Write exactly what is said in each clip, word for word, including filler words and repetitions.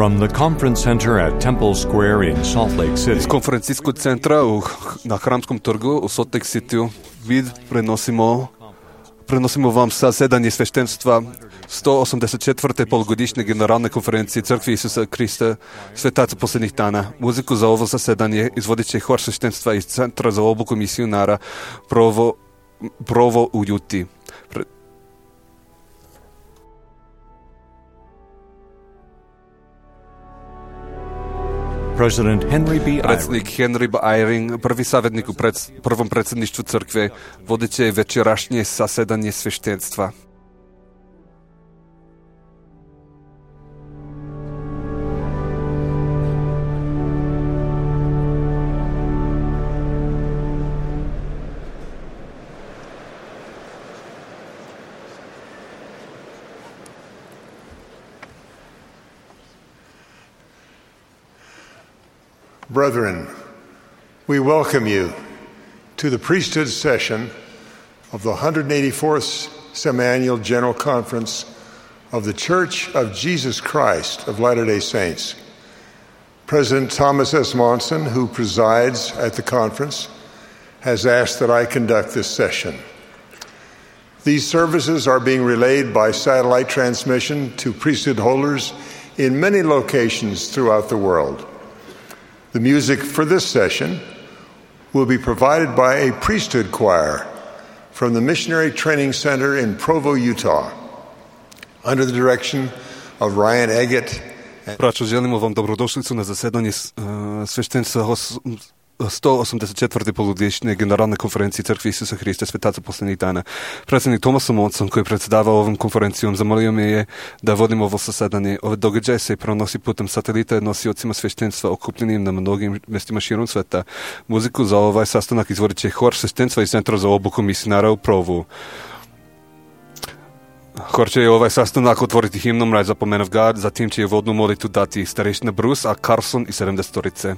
From the conference center at Temple Square in Salt Lake City. Iz konferencijskog centra u, na Hramskom trgu u Salt Lake City vid prenosimo prenosimo vam zasedanje sveštenstva sto osamdeset četvrte polugodišnje generalne konferencije Crkve Isusa Krista Svetaca posljednjih dana. Muziku za ovo zasedanje izvodit će hor sveštenstva iz Centra za obuku misionara Provo, Provo u Juti. Pre... President Henry B. Predsjednik Henry B. Eyring, prvi savjetnik u pred, prvom predsjedništvu crkve, vodit će večerašnje zasedanje sveštenstva. Brethren, we welcome you to the priesthood session of the one hundred eighty-fourth Semiannual General Conference of the Church of Jesus Christ of Latter-day Saints. President Thomas S. Monson, who presides at the conference, has asked that I conduct this session. These services are being relayed by satellite transmission to priesthood holders in many locations throughout the world. The music for this session will be provided by a priesthood choir from the Missionary Training Center in Provo, Utah, under the direction of Ryan Eggett. Braćo, želimo vam dobrodošlicu na zasedanje uh, sveštenstva sto osamdeset četvrte polugodišnje generalne konferencije Crkve Isusa Hrista Svetaca posljednjih dana. Predsjednik Thomas Monson, koji je predsjedavao ovom konferencijom, zamolio me je da vodim ovo zasedanje. Ove događaje se prenosi putem satelita nosiocima sveštenstva okupljenim na mnogim mjestima širom sveta. Muziku za ovaj sastanak izvodit će hor sveštenstva iz Centra za obuku misionara u Provu. Hor će ovaj sastanak otvoriti himnom Rise Up, O Man of God, zatim će je vodnu molitvu dati starešina Bruce A. Carson i sedamdesetorice.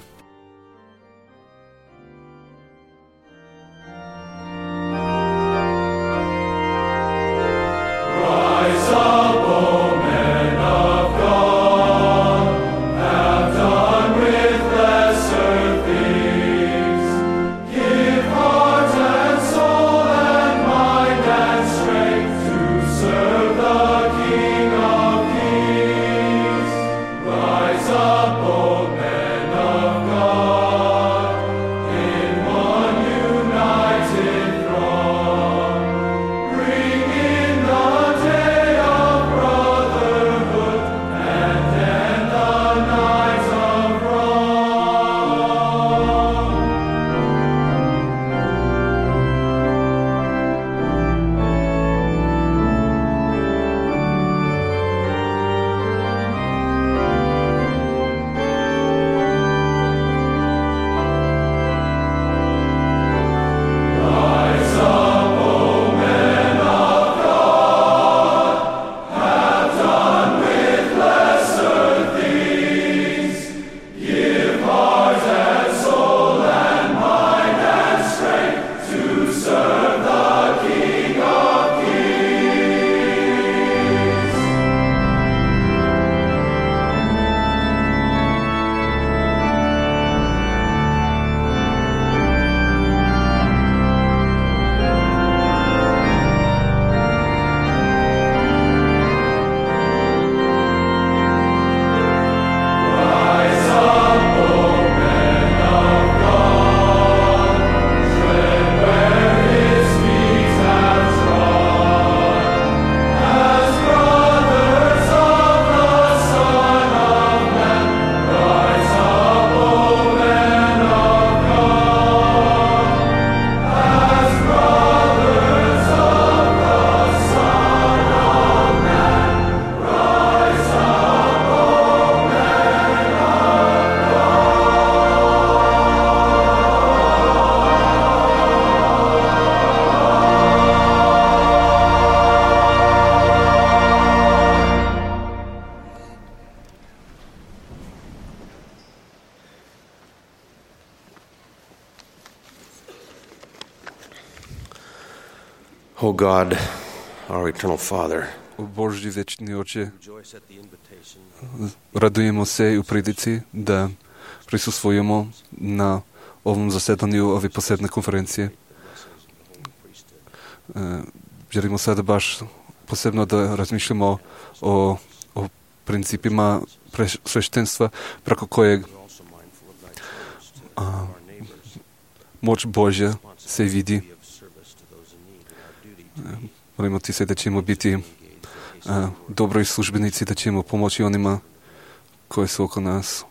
O God, our eternal Father, Божи вечни Отче, радуємо се и у прилици да присуствуваме на овом заседанию овој посебна конференција. Želimo sada baš posebno da razmišljamo o, o principima sveštenstva preko kojeg a, moć Božja se vidi. Molimo ti se da ćemo biti a, dobri službenici, da ćemo pomoći onima koji su oko nas,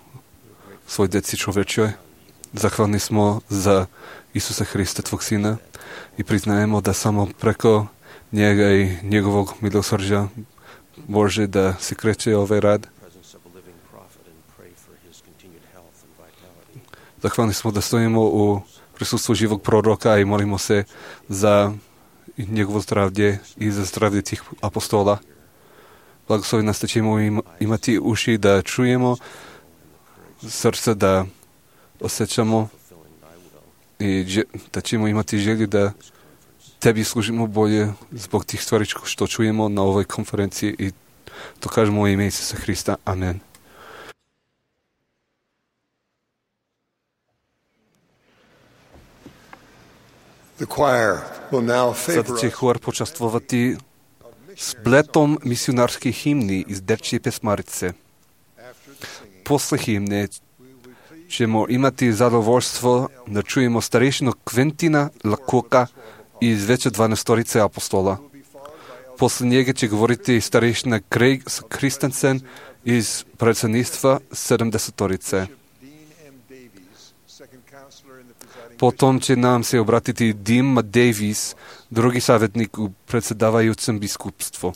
svoj deci čovečoj. Zahvalni smo za Isusa Hrista, tvog Sina, i priznajemo da samo preko njega i njegovog milosrđa može da se kreće ovaj rad. Zahvalni smo da stojimo u prisustvu živog proroka i molimo se za njegovo zdravlje i za zdravlje tih apostola. Blagoslovi nas da ćemo im, imati uši da čujemo, srce da osjećamo i da ćemo imati želju da tebi služimo bolje zbog tih stvari što čujemo na ovoj konferenciji i to kažemo u ime Isusa Hrista. Amen. Sada će hor počastvovati spletom misionarskih himni iz dečje pesmarice. Posle himne ćemo imati zadovoljstvo da čujemo starešinu Kventina Lakoka iz veće dvanaestorice apostola. Posle njega će govoriti starešina Craig Christensen iz predsjedništva sedamdesetorice. Potom će nam se obratiti Dean Davis, drugi savjetnik u predsjedavajućem biskupstvu.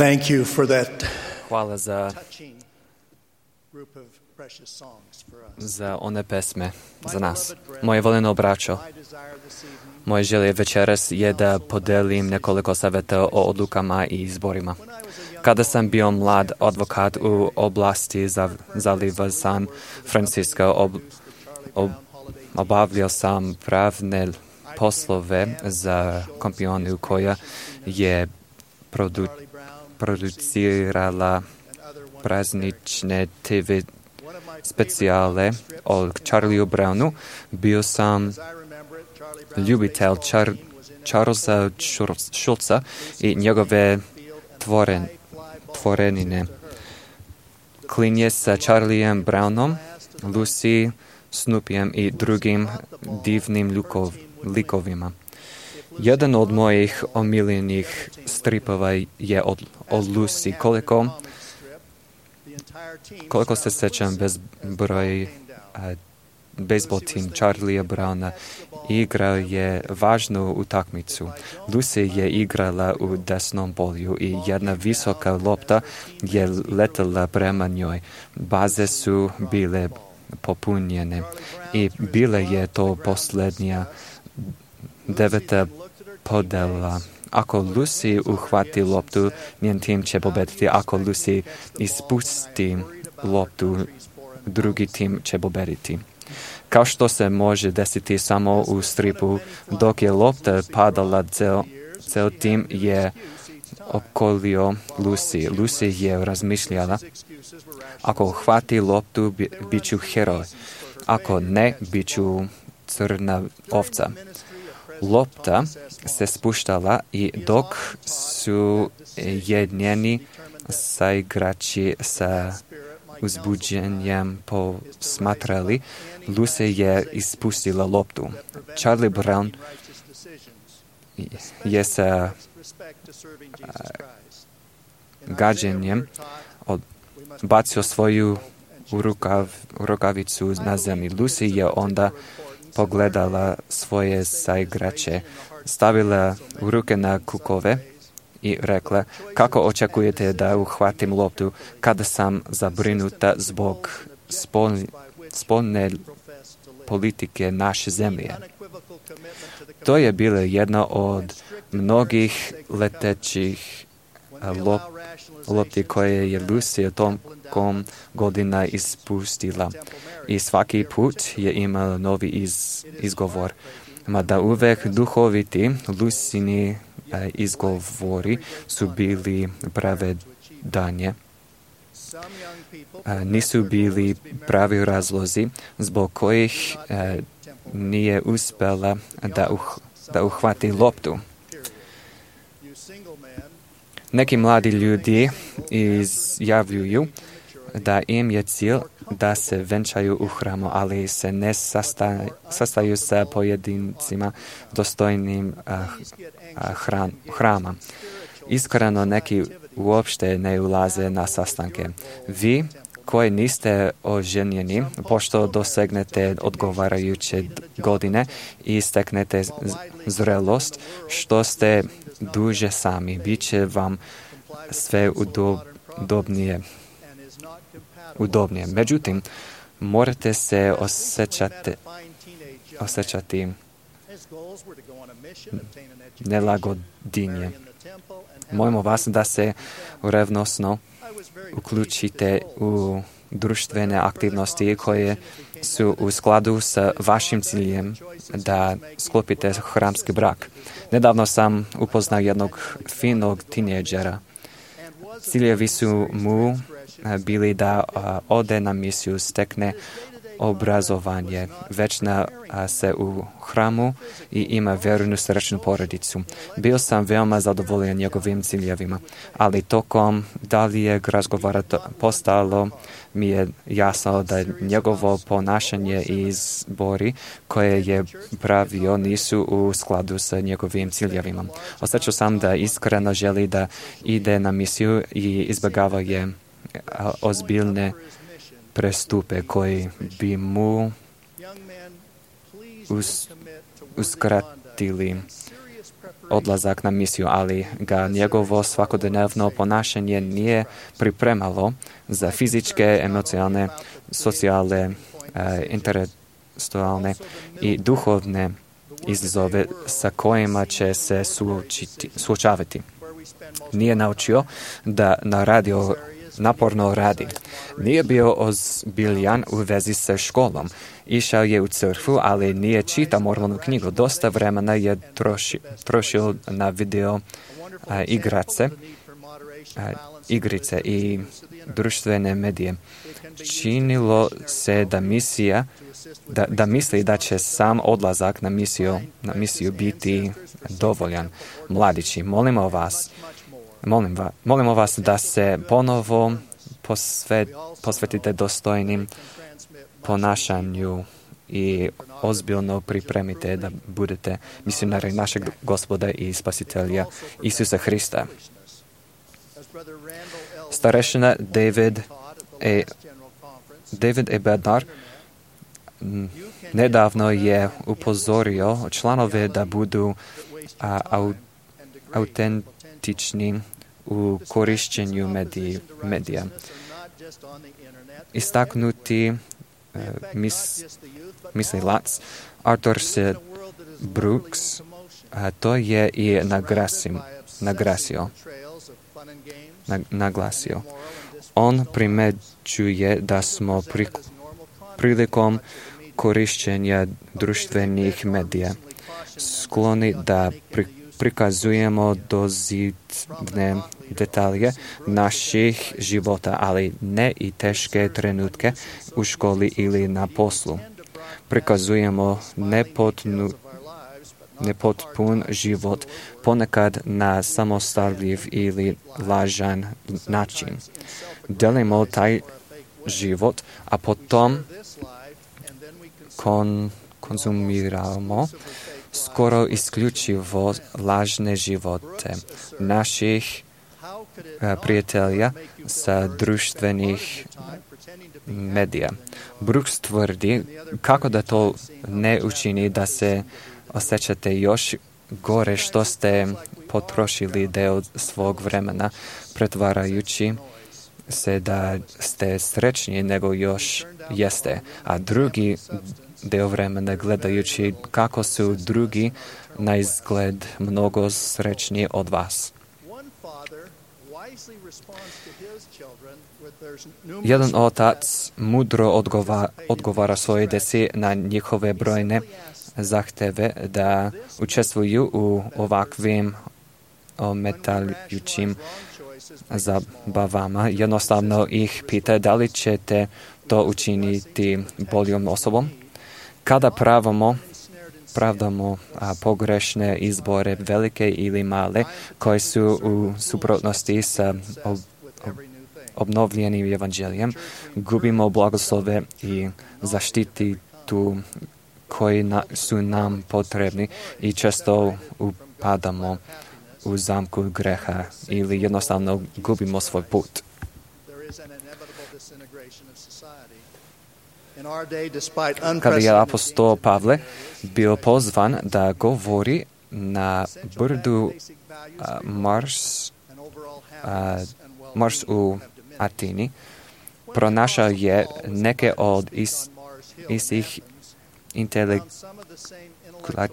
Thank you for that Hvala za, touching group of precious songs for us. za one pesme za nas. Moje voljeno braćo, moje želje večeras je da podelim nekoliko savjeta o odlukama i izborima. Kada sam bio mlad advokat u oblasti za, zaliva San Francisco, ob, ob, obavljao sam pravne poslove za kompaniju koja je produ, producirala praznične te ve specijale o Charlieu Brownu. Bio sam ljubitelj Char, Charlesa Schulza i njegove tvoren, tvorenine. Klinje sa Charliem Brownom, Lucy, Snoopyjem i drugim divnim ljukov, likovima. Jedan od mojih omiljenih stripova je od, od Lucy. Koliko, koliko se sećam bezbroj uh, bejsbol tim Charliea Browna igrao je važnu utakmicu. Lucy je igrala u desnom polju i jedna visoka lopta je letela prema njoj. Baze su bile popunjene i bile je to posljednja deveta podela. Ako Lucy uhvati loptu, njen tim će pobediti. Ako Lucy ispusti loptu, drugi tim će pobediti. Kao što se može desiti samo u stripu, dok je lopta padala, cel, cel tim je opkolio Lucy. Lucy je razmišljala, ako uhvati loptu, bi, bit ću heroj. Ako ne, bit ću crna ovca. Lopta se spuštala i dok su jednjeni saigrači sa uzbuđenjem posmatrali, Lucy je ispustila loptu. Charlie Brown je sa gađenjem bacio svoju rukav, rukavicu na zemlji. Lucy je onda pogledala svoje saigrače, stavila ruke na kukove i rekla, kako očekujete da uhvatim loptu kada sam zabrinuta zbog spol, spolne politike naše zemlje. To je bila jedna od mnogih letećih lop, lopti koje je Lucy tokom godina ispustila i svaki put je imala novi iz, izgovor. Mada uvek duhoviti Lucini izgovori su bili pravedanje. Nisu bili pravi razlozi zbog kojih nije uspela da, uh, da uhvati loptu. Neki mladi ljudi izjavljuju da im je cilj da se venčaju u hramu, ali se ne sastaju, sastaju sa pojedincima dostojnim uh, hran, hrama. Iskreno neki uopšte ne ulaze na sastanke. Vi koji niste oženjeni, pošto dosegnete odgovarajuće godine i steknete zrelost, što ste duže sami, bit će vam sve udobnije. udobnije. Međutim, morate se osjećati, osjećati nelagodinje. Molimo vas da se revnosno uključite u društvene aktivnosti koje su u skladu sa vašim ciljem da sklopite hramski brak. Nedavno sam upoznao jednog finog tinejdžera. Ciljevi su mu bili da ode na misiju, stekne obrazovanje, većna se u hramu i ima vjernu srećnu porodicu. Bio sam veoma zadovoljan njegovim ciljevima, ali tokom daljeg razgovora postalo mi je jasno da njegovo ponašanje i izbori koje je pravio nisu u skladu sa njegovim ciljevima. Osjećao sam da iskreno želi da ide na misiju i izbjegava je ozbiljne prestupe koji bi mu us, uskratili odlazak na misiju, ali ga njegovo svakodnevno ponašanje nije pripremalo za fizičke, emocionalne, socijalne, intelektualne i duhovne izazove sa kojima će se suočiti, suočavati. Nije naučio da na radio naporno radi. Nije bio ozbiljan u vezi sa školom. Išao je u crkvu, ali nije čitao moralnu knjigu. Dosta vremena je troši, trošio na video a, igrace, a, igrice i društvene medije. Činilo se da misija Da, da misli da će sam odlazak na misiju, na misiju biti dovoljan. Mladići, molimo vas, molim va, molimo vas da se ponovo posvet, posvetite dostojnim ponašanju i ozbiljno pripremite da budete misionari našeg Gospoda i Spasitelja Isusa Hrista. Starešina David E. David E. Bednar nedavno je upozorio članove da budu a, au, autentični u korišćenju mediji, medija. Istaknuti uh, mis, mislilac Arthur C. Brooks a, to je i nagrasim, nagrasio, nag, naglasio. On primećuje da smo pri, prilikom korišćenja društvenih medija skloni da pri, prikazujemo dozidne detalje naših života, ali ne i teške trenutke u školi ili na poslu. Prikazujemo nepotnu, nepotpun život, ponekad na samostaljiv ili lažan način. Delimo taj život, a potom kon, konzumiramo skoro isključivo lažne živote naših a, prijatelja sa društvenih medija. Brooks tvrdi kako da to ne učini da se osjećate još gore što ste potrošili deo svog vremena pretvarajući se da ste srećniji nego još jeste, a drugi deo vremena gledajući kako su drugi na izgled mnogo srećniji od vas. Jedan otac mudro odgova, odgovara svoje djeci na njihove brojne zahteve da učestvuju u ovakvim ometajućim zabavama. Jednostavno ih pita da li ćete to učiniti boljom osobom. Kada pravamo, pravdamo a, pogrešne izbore, velike ili male, koje su u suprotnosti sa ob, ob, obnovljenim evanđelijem, gubimo blagoslove i zaštitu koji na, su nam potrebni i često upadamo u zamku greha ili jednostavno gubimo svoj put. Kada je apostol Pavle bio pozvan da govori na brdu a, Mars, a, Mars u Atini, pronašao je neke od is, istih intelektualnih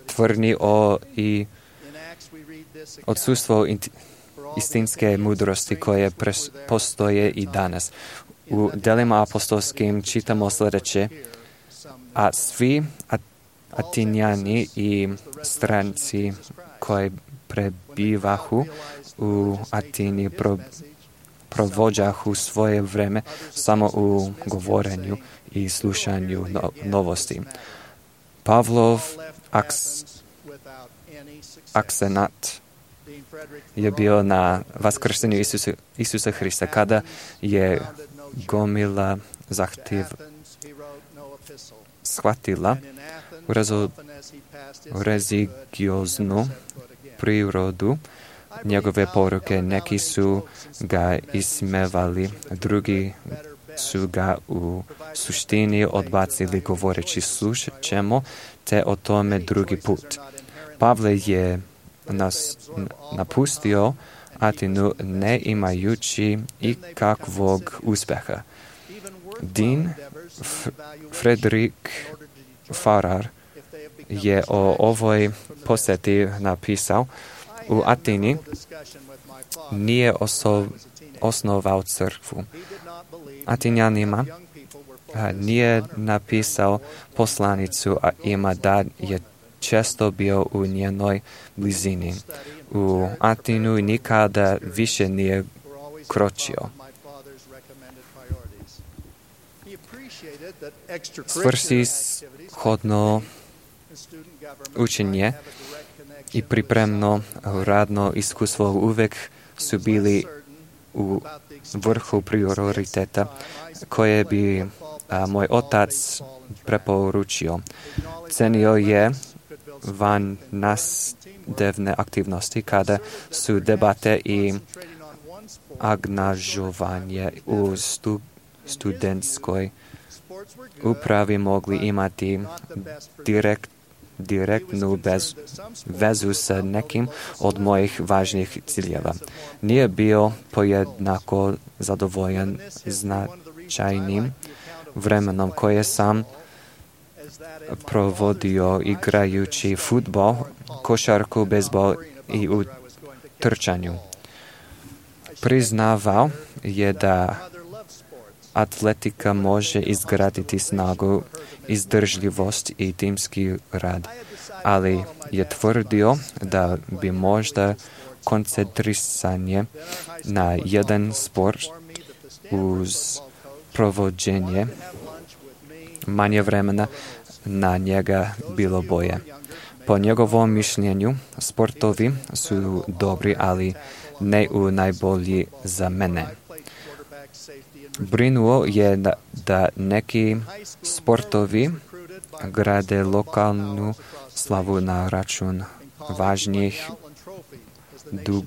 tvrdnji o i odsustvo istinske mudrosti koje pres, postoje i danas. U delima apostolskim čitamo sljedeće, a svi Atinjani i stranci koji prebivahu u Atini pro, provođahu svoje vreme samo u govorenju i slušanju no, novosti. Pavlov aks, aksenat je bio na vaskrsenju Isusa, Isusa Hrista, kada je gomila zahtjev shvatila religioznu prirodu njegove poruke. Neki su ga ismevali, drugi su ga u suštini odbacili govoreći slušat ćemo te o tome drugi put. Pavle je nas napustio Atinu ne imajući ikakvog uspeha. Dean F- Frederick Farrar je o ovoj posjeti napisao: u Atini nije oso- osnovao crkvu. Atinjanima nije napisao poslanicu, a ima da je često bio u njenoj blizini. U Atinu nikada više nije kročio. Svrsishodno učenje i pripremno radno iskustvo uvek su bili u vrhu prioriteta koje bi a, moj otac preporučio. Cenio je van nastavne aktivnosti kada su debate i angažovanje u stu, studentskoj upravi mogli imati direkt, direktnu bez, vezu sa nekim od mojih važnijih ciljeva. Nije bio pojednako zadovoljan značajnim vremenom koje sam provodio igrajući fudbal, košarku, bejzbol i u trčanju. Priznavao je da atletika može izgraditi snagu, izdržljivost i timski rad, ali je tvrdio da bi možda koncentrisanje na jedan sport uz provođenje manje vremena na njega bilo boje. Po njegovom mišljenju, sportovi su dobri, ali ne u najbolji za mene. Brinuo je da, da neki sportovi grade lokalnu slavu na račun važnijih dug,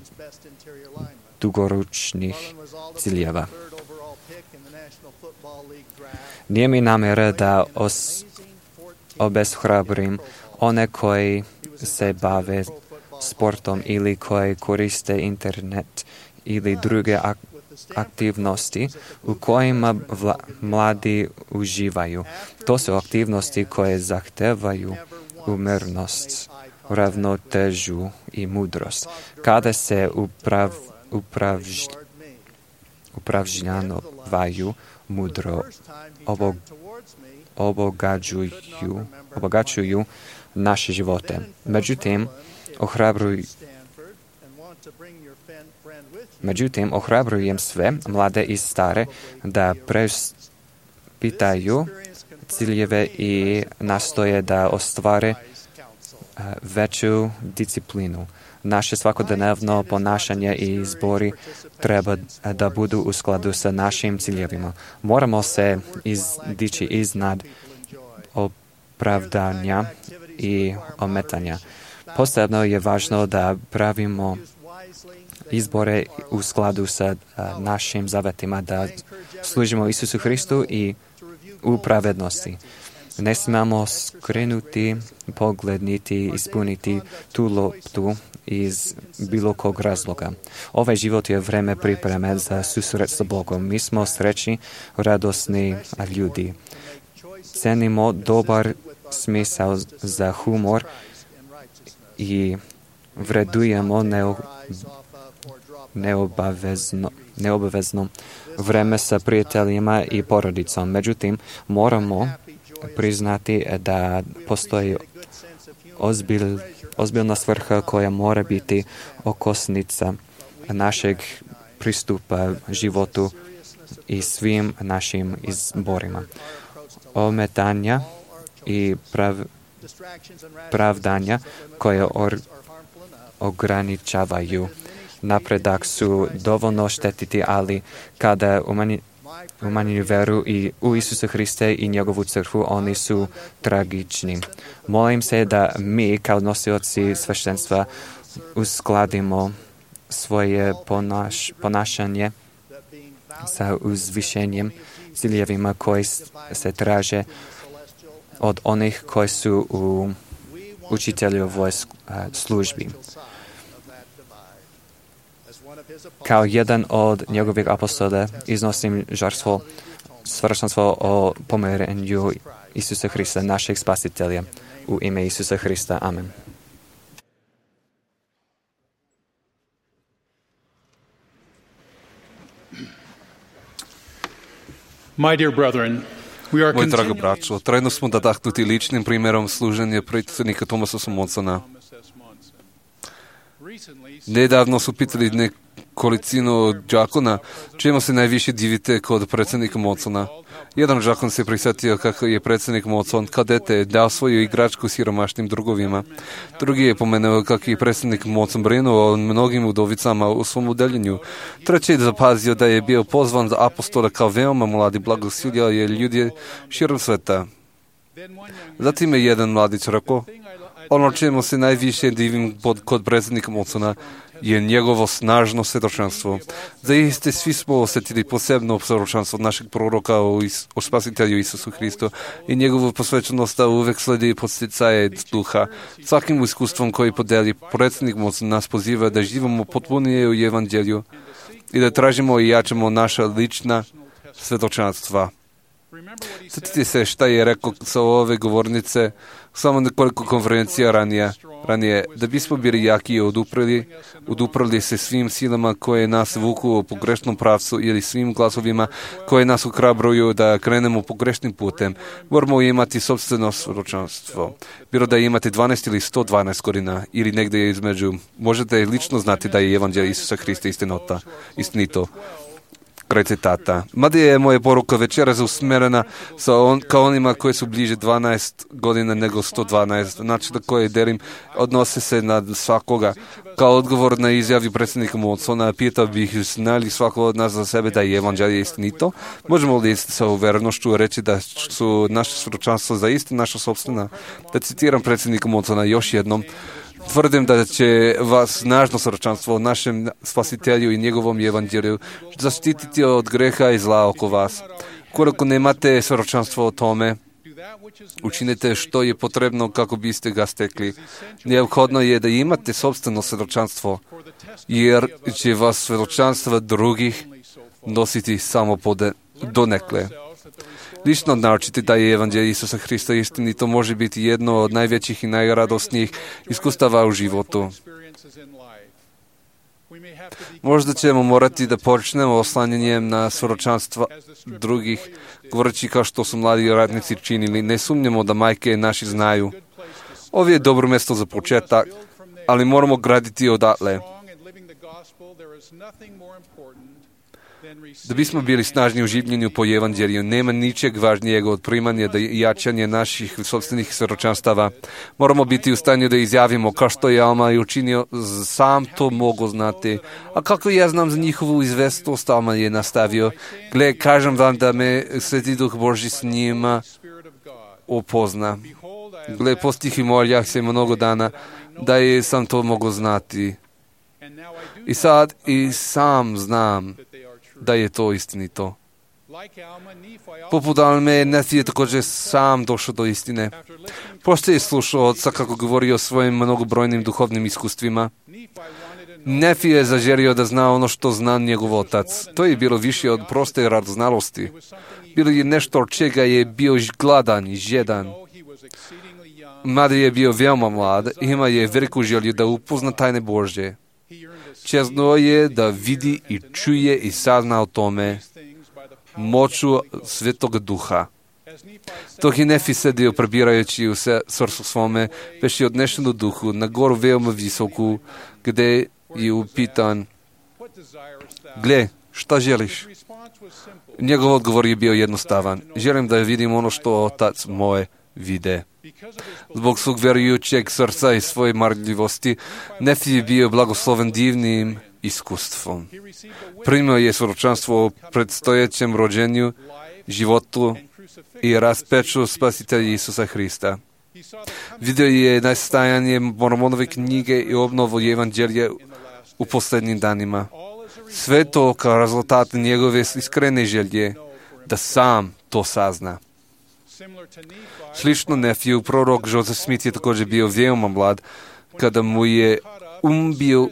dugoročnih ciljeva. Nije mi namjera da os, obeshrabrim one koji se bave sportom ili koji koriste internet ili druge ak- aktivnosti u kojima vla, mladi uživaju. To su aktivnosti koje zahtevaju umjernost, ravnotežu i mudrost. Kada se uprav, upravž, upravžnjavaju mudro, obog, obogađuju, obogaćuju naše živote. Međutim, ohrabruju Međutim, ohrabrujem sve, mlade i stare, da preispitaju ciljeve i nastoje da ostvare veću disciplinu. Naše svakodnevno ponašanje i izbori treba da budu u skladu sa našim ciljevima. Moramo se izdići iznad opravdanja i ometanja. Posebno je važno da pravimo izbore u skladu sa a, našim zavetima, da služimo Isusu Hristu i u pravednosti. Ne smemo skrenuti pogled niti ispuniti tu loptu iz bilo kog razloga. Ovaj život je vreme pripreme za susret sa Bogom. Mi smo srećni, radosni ljudi. Cenimo dobar smisao za humor i vredujemo neo, neobavezno, neobavezno vreme sa prijateljima i porodicom. Međutim, moramo priznati da postoji ozbilj, ozbiljna svrha koja mora biti okosnica našeg pristupa životu i svim našim izborima. Ometanja i prav, pravdanja koje or, ograničavaju napredak su dovoljno štetiti, ali kada umanji, umanjuju veru i u Isusa Hriste i njegovu crkvu, oni su tragični. Molim se da mi kao nosioci sveštenstva uskladimo svoje ponaš, ponašanje sa uzvišenjem, ciljevima koji se traže od onih koji su u učiteljovoj službi. Kao jedan od njegovih apostola iznosim žrtvu, svršenstvo o pomirenju Isusa Hrista, našeg spasitelja. U ime Isusa Hrista. Amen. My dear brethren, we are Moj drago continuing braćo, trajno smo nadahnuti ličnim primjerom služenja predsjednika Thomasa Mondsona. Nedavno su pitali nekolicinu đakona čemu se najviše divite kod predsjednika Mondsona. Jedan đakon se prisjetio kako je predsjednik Mondson kao dete dao svoju igračku siromašnim drugovima. Drugi je pomenuo kako je predsjednik Mondson brinuo o mnogim udovicama u svom udeljenju. Treći je zapazio da je bio pozvan za apostola kao veoma mladi, blagosiljao je ljudi širom sveta. Zatim je jedan mladić rekao: ono čemu se najviše divim kod predsjednika Mondsona je njegovo snažno svjedočanstvo. Zaiste svi smo osjetili posebno svjedočanstvo našeg proroka o, is, o spasitelju Isusu Hristu i njegovu posvećenost da uvek sledi podsticaje duha. Svakim iskustvom koji podeli predsjednik Mondson nas poziva da živimo potpunije u evanđelju i da tražimo i jačamo naša lična svjedočanstva. Sjetite se šta je rekao sa ove govornice samo nekoliko konferencija ranije, ranije da bismo bili jaki i oduprli, oduprli se svim silama koje nas vuku u pogrešnom pravcu ili svim glasovima koje nas uhrabruju da krenemo pogrešnim putem. Moramo imati sopstveno svjedočanstvo. Bilo da imate dvanaest ili sto dvanaest godina ili negdje između, možete lično znati da je evanđelje Isusa Hrista istinota, istinito. Kraj citata. Mada je moja poruka večeras usmjerena sa on, ka onima koji su bliže dvanaest godina nego sto dvanaest. Znači da koje delim odnose se na svakoga. Kao odgovor na izjavi predsjednika Mondsona pitao bih znali svako od nas za sebe da je evanđelje istinito. Možemo li sa uverenošću reći da su naše svjedočanstva zaista naša sopstvena? Da citiram predsjednika Mondsona još jednom. Tvrdim da će vas snažno svjedočanstvo o našem spasitelju i njegovom evanđelju zaštititi od greha i zla oko vas. Koliko nemate svjedočanstvo o tome, učinite što je potrebno kako biste ga stekli. Neophodno je da imate sopstveno svjedočanstvo, jer će vas svjedočanstva drugih nositi samo pode, donekle. Lično naučiti da je evanđelje Isusa Hrista istinito može biti jedno od najvećih i najradosnijih iskustava u životu. Možda ćemo morati da počnemo oslanjanjem na svjedočanstva drugih, govoreći kao što su mladi radnici činili. Ne sumnjamo da majke naši znaju. Ovo je dobro mjesto za početak, ali moramo graditi odatle. Da bismo bili snažni u življenju po evanđelju, nema ničeg važnijeg od primanja da jačanje naših sopstvenih svjedočanstava. Moramo biti u stanju da izjavimo kao što je Alma i učinio, sam to mogu znati. A kako ja znam za njihovu izvestnost, Alma je nastavio. Gle, kažem vam da me Sveti Duh Božji s njima opozna. Gle, postih i moljah se mnogo dana da je sam to mogu znati. I sad i sam znam da je to istinito. Poput Alme, Nefi je također sam došao do istine. Pošto je slušao oca kako govori o svojim mnogobrojnim duhovnim iskustvima, Nefi je zaželio da zna ono što zna njegov otac. To je bilo više od proste radoznalosti. Bilo je nešto od čega je bio gladan i žedan. Mada je bio veoma mlad, ima je veliku želju da upozna tajne Božje. Čezno je da vidi i čuje i sazna o tome moću Svetog Duha. Dok je Nefi sedio prebirajući u srcu svome, već je odnešen u duhu na goru veoma visoku, gdje je upitan: gle, šta želiš? Njegov odgovor je bio jednostavan: želim da vidim ono što otac moje vide. Zbog svog vjerujućeg srca i svoje marljivosti, Nefi je bio blagosloven divnim iskustvom. Primio je svjedočanstvo o predstojećem rođenju, životu i raspeču spasitelja Isusa Hrista. Vidio je nastajanje Mormonove knjige i obnovu evanđelja u posljednjim danima. Sve to kao rezultat njegove iskrene želje da sam to sazna. Slično Nefiju, prorok Joseph Smith je također bio veoma mlad, kada mu je um bio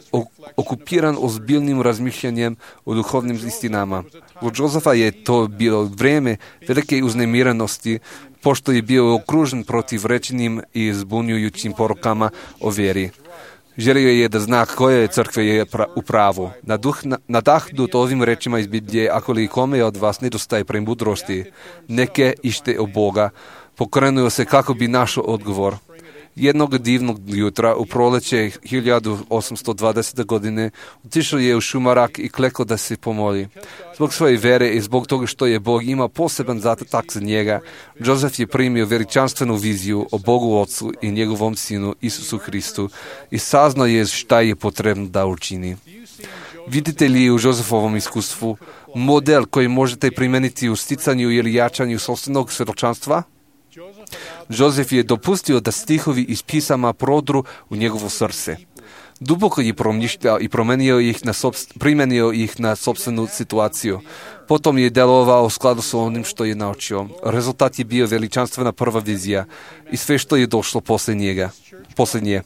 okupiran ozbiljnim razmišljanjem o duhovnim istinama. U Josefa je to bilo vrijeme velike uznemirenosti, pošto je bio okružen protiv rečenim i zbunjujućim porukama o vjeri. Želio je da zna koje crkve je u pravu. Nadahnut ovim rečima iz Biblije, ako li kome od vas nedostaje premudrosti, neke ište o Boga, pokrenuo se kako bi našao odgovor. Jednog divnog jutra u proleće hiljadu osamsto dvadesete godine otišao je u šumarak i klekao da se pomoli. Zbog svoje vere i zbog toga što je Bog imao poseban zadatak za njega, Joseph je primio veličanstvenu viziju o Bogu Otcu i njegovom Sinu Isusu Hristu i saznao je šta je potrebno da učini. Vidite li u Josefovom iskustvu model koji možete primijeniti u sticanju ili jačanju sopstvenog svjedočanstva? Josef je dopustio da stihovi iz pisama prodru u njegovo srce. Duboko je promišljao i promenio ih na sobst, primenio ih na sopstvenu situaciju. Potom je delovao u skladu s onim što je naučio. Rezultat je bio veličanstvena prva vizija i sve što je došlo posle njega. Posle nje.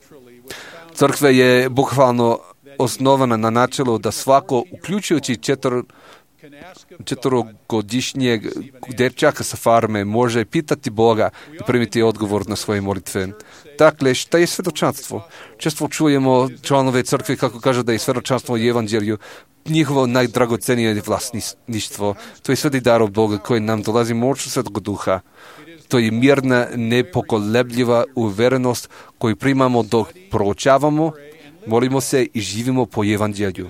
Crkva je bukvalno osnovana na načelu da svako, uključujući četvr četvrogodišnjeg dečaka sa farme, može pitati Boga i primiti odgovor na svoje molitve. Dakle, šta je svjedočanstvo? Često čujemo članove crkve kako kažu da je svjedočanstvo u evanđelju njihovo najdragocenije vlasništvo. To je sveti dar od Boga koji nam dolazi moću Svetog Duha. To je mirna, nepokolebljiva uverenost koju primamo dok proučavamo, molimo se i živimo po evanđelju.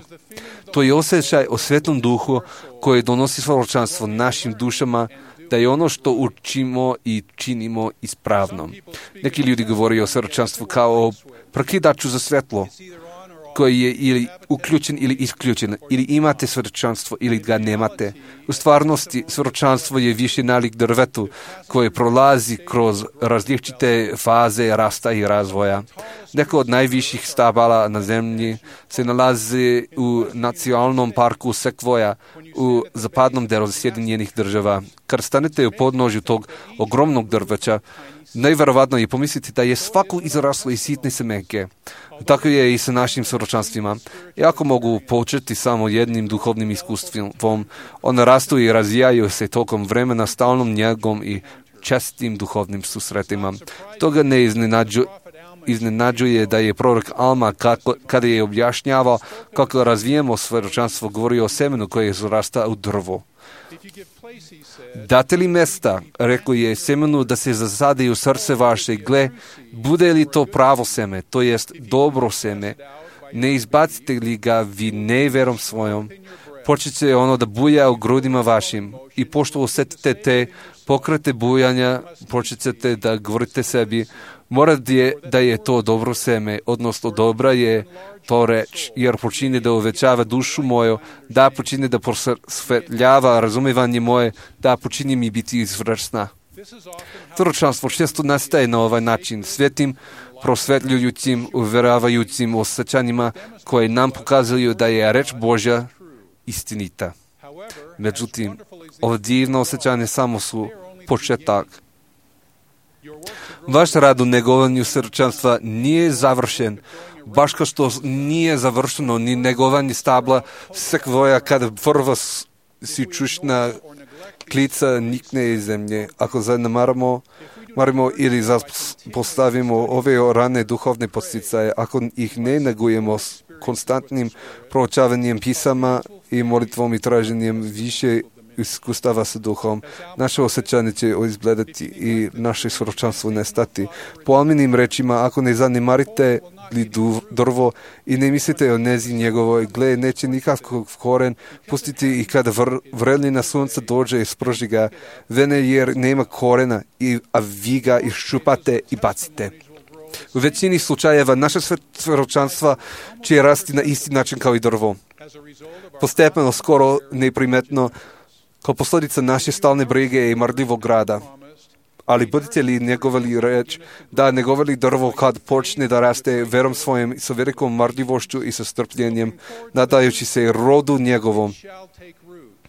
To je osjećaj o Svetom Duhu koji donosi svjedočanstvo našim dušama da je ono što učimo i činimo ispravno. Neki ljudi govore o svjedočanstvu kao o prekidaču za svjetlo koji je ili uključen ili isključen, ili imate svjedočanstvo ili ga nemate. U stvarnosti svjedočanstvo je više nalik drvetu koje prolazi kroz različite faze rasta i razvoja. Neko od najviših stabala na zemlji se nalazi u nacionalnom parku Sekvoja u zapadnom delu Sjedinjenih država. Kad stanete u podnožju tog ogromnog drveća, najvjerovatno je pomisliti da je svako izraslo iz sitne semenke. Tako je i sa našim svjedočanstvima. Iako mogu početi samo jednim duhovnim iskustvom, one rastu i razvijaju se tokom vremena stalnom njegom i čestim duhovnim susretima. Toga ne iznenađu, iznenađuje da je prorok Alma, kako, kada je objašnjavao kako razvijemo svjedočanstvo, govorio o semenu koje zarasta u drvo. Date li mesta, rekao je semenu, da se zasadi u srce vaše, gle, bude li to pravo seme, to jest dobro seme, ne izbacite li ga vi neverom svojom, počeće ono da buja u grudima vašim i pošto osjetite te pokrete bujanja, počećete da govorite sebi, mora je da je to dobro seme, odnosno dobra je to reč, jer počine da uvećava dušu moju, da počine da prosvetljava razumevanje moje, da počini mi biti izvrsna. Svjedočanstvo često nastaje na ovaj način, svetim, prosvetljujućim, uveravajućim osjećanjima koje nam pokazuju da je reč Božja istinita. Međutim, ovo divno osjećanje samo su početak. Vaš rad u negovanju svjedočanstva nije završen, baš kao što nije završeno ni negovanje stabla sekvoja kada prva sičušna klica nikne iz zemlje. Ako zanemaramo marimo ili postavimo ove rane duhovne podsticaje, ako ih ne negujemo s konstantnim proučavanjem pisama i molitvom i traženjem više iskustava sa duhom, naše osjećanje će izgledati i naše svjedočanstvo nestati. Po Alminim rečima, ako ne zanemarite li drvo i ne mislite o nezi njegovoj, gle, neće nikakv koren pustiti i kada vr, vrelina sunca dođe i sprži ga, vene jer nema korena, i, a vi ga iščupate i bacite. U većini slučajeva naše svjedočanstva će rasti na isti način kao i drvo. Postepeno, skoro neprimetno, kao posljedica naše stalne brige i marljivog rada. ali budete li njegovali reč, da njegovali drvo kad počne da raste verom svojim sa velikom marljivošću i sa strpljenjem, nadajući se rodu njegovom.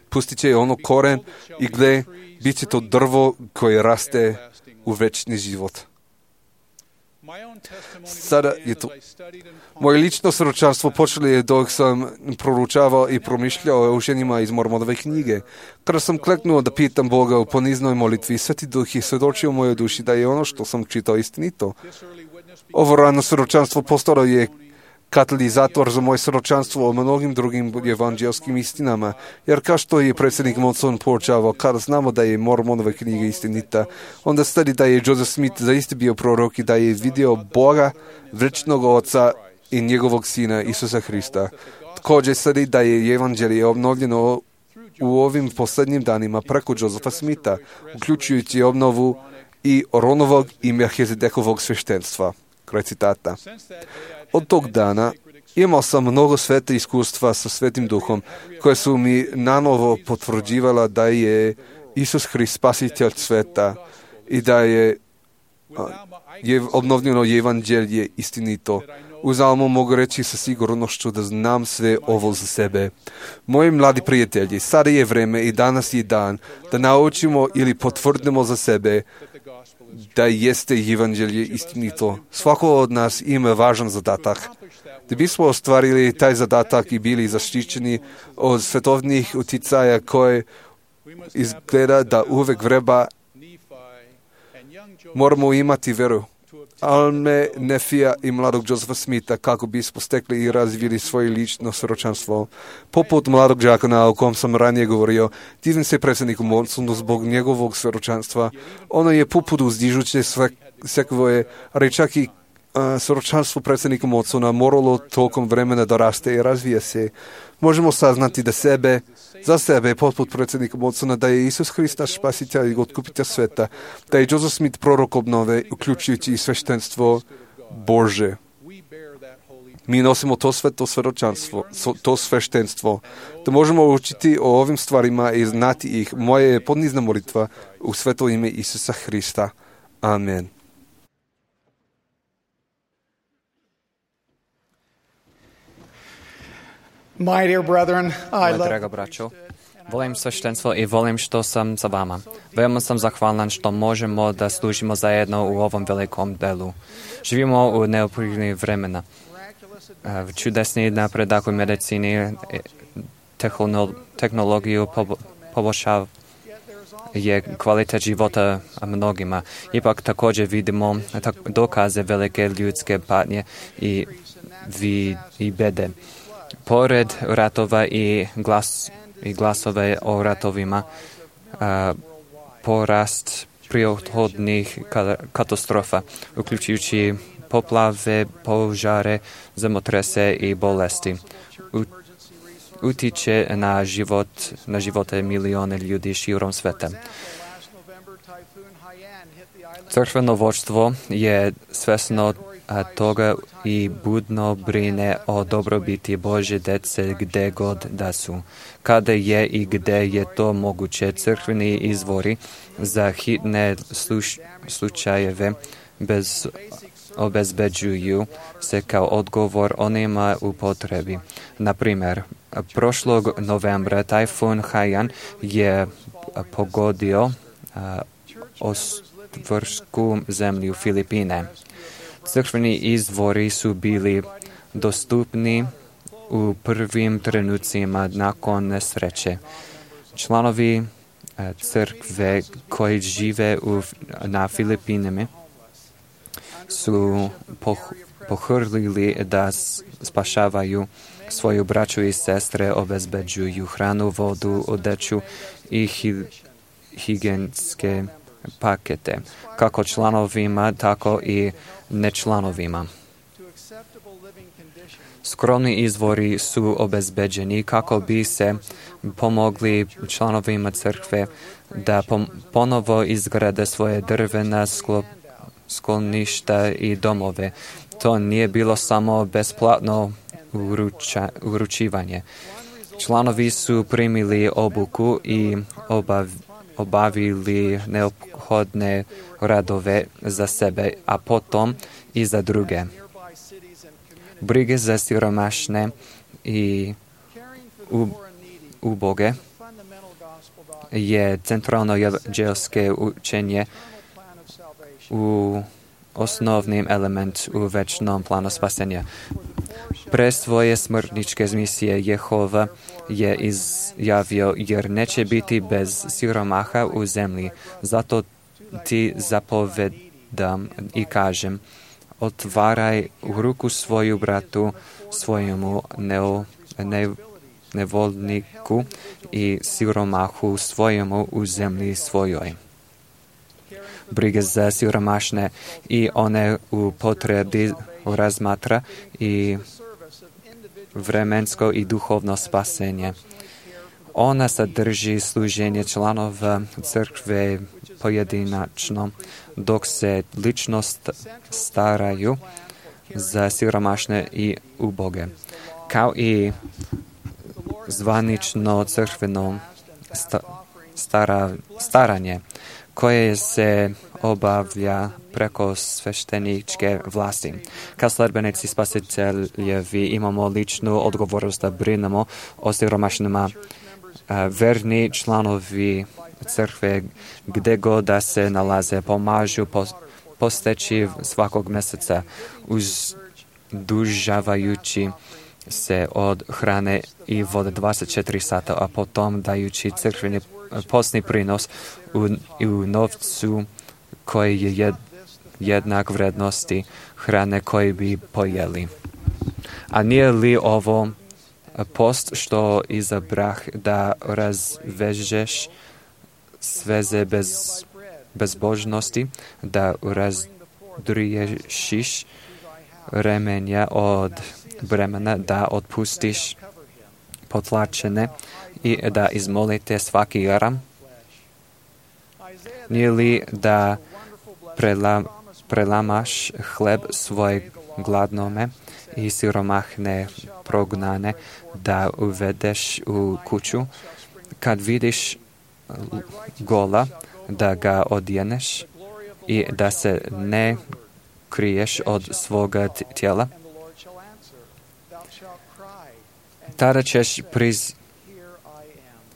Pustit će ono koren i gle, bit će to drvo koje raste u večni život. Sada je to. Moje lično svjedočanstvo počelo je dok sam proručavao i promišljao o učenjima iz Mormonove knjige. Kada sam kleknuo da pitam Boga u poniznoj molitvi, Sveti Duh je svjedočio mojoj duši da je ono što sam čitao istinito. Ovo rano svjedočanstvo postalo je katalizator za moje svjedočanstvo o mnogim drugim evanđelskim istinama, jer kao što je predsjednik Monson poučavao, kada znamo da je Mormonova knjiga istinita, onda sledi da je Joseph Smith zaista bio prorok i da je vidio Boga, večnog Oca i njegovog Sina Isusa Hrista. Također sledi da je evanđelje obnovljeno u ovim posljednjim danima preko Josepha Smitha, uključujući obnovu i Oronovog i Melchizedekovog sveštenstva. Kraj citata. Od tog dana imao sam mnogo svete iskustva sa Svetim Duhom, koje su mi nanovo potvrđivala da je Isus Hrist spasitelj sveta i da je, je obnovljeno evanđelje istinito. Uzalmo mogu reći sa sigurnošću da znam sve ovo za sebe. Moji mladi prijatelji, sada je vreme i danas je dan da naučimo ili potvrdimo za sebe da jeste evanđelje istinito. Svako od nas ima važan zadatak. Da bismo ostvarili taj zadatak i bili zaštićeni od svetovnih uticaja koje izgleda da uvek vreba, moramo imati veru. Alme, Nefija i mladog Josepha Smitha kako bismo stekli i razvili svoje lično svjedočanstvo. Poput mladog đakona o kom sam ranije govorio, divim se predsjedniku Monsonu zbog njegovog svjedočanstva. Ono je poput uzdižuće sekvoje, ali čak i uh, svjedočanstvo predsjednika Monsona moralo tokom vremena da raste i razvija se. Možemo saznati da sebe, za sebe, poput predsjednika Monsona, da je Isus Hrist naš spasitelj i otkupitelj sveta, da je Joseph Smith prorok obnove, uključujući i sveštenstvo Bože. Mi nosimo to sveto svjedočanstvo, to sveštenstvo, da možemo učiti o ovim stvarima i znati ih. Moje je podnizna molitva u sveto ime Isusa Hrista. Amen. My dear brethren, I Moja love draga braćo, volim sveštenstvo i volim što sam sa vama. Veoma sam zahvalan što možemo da služimo zajedno u ovom velikom delu. Živimo u neophodnih vremena. Čudesni napredak u medicini, tehnologiju poboljšava je kvalitet života mnogima. Ipak također vidimo dokaze velike ljudske patnje i, i bede. Pored ratova i, glas, i glasove o ratovima, a, porast prirodnih katastrofa, uključujući poplave, požare, zemotrese i bolesti, U, utiče na život, na živote milione ljudi širom sveta. Crkveno vođstvo je svesno toga i budno brine o dobrobiti Božje dece gde god da su. Kada je i gde je to moguće, crkveni izvori za hitne sluš, slučajeve bez obezbeđuju se kao odgovor onima u potrebi. Na primjer, prošlog novembra tajfun Haiyan je pogodio ostrovsku zemlju Filipine. Crkveni izvori su bili dostupni u prvim trenucima nakon nesreće. Članovi crkve koji žive u, na Filipinima su poh, pohrlili da spašavaju svoju braću i sestre, obezbeđuju hranu, vodu, odeću i hi, higijenske pakete, kako članovima, tako i nečlanovima. Skromni izvori su obezbeđeni kako bi se pomogli članovima crkve da pom- ponovo izgrade svoje drvena sklop, skloništa i domove. To nije bilo samo besplatno uruča, uručivanje. Članovi su primili obuku i obav, obavili neophodne neophodne radove za sebe, a potom i za druge. Brige za siromašne i uboge je centralno evanđelske učenje u osnovnim element u večnom planu spasenja. Pre svoje smrtničke misije Jehova je izjavio, jer neće biti bez siromaha u zemlji. Zato ti zapovedam i kažem, otvaraj ruku svoju bratu, svojemu neo, ne, nevolniku i siromahu svojemu u zemlji svojoj. Brige za siromašne i one u potrebi razmatra i vremensko i duhovno spasenje. Ona sadrži služenje članova crkve pojedinačno, dok se ličnost staraju za siromašne i uboge, kao i zvanično crkveno stara, staranje, koje se obavlja preko svešteničke vlasti. Kao sledbenici spasiteljevi imamo ličnu odgovornost da brinemo o siromašnima. Verni članovi crkve, gde god da se nalaze, pomažu posteći svakog mjeseca, uzdužavajući se od hrane i vode dvadeset četiri sata, a potom dajući crkveni postni prinos u, u novcu koji je jed, jednak vrednosti hrane koji bi pojeli. A nije li ovo post što izabrah da razvežeš sveze bez bezbožnosti, da razdriješiš remenja od bremena, da otpustiš potlačene i da izmolite svaki jaram? Nije li da prela, prelamaš hleb svoj gladnome i siromahne prognane, da uvedeš u kuću, kad vidiš gola, da ga odjeneš i da se ne kriješ od svoga tijela? Tada ćeš priz,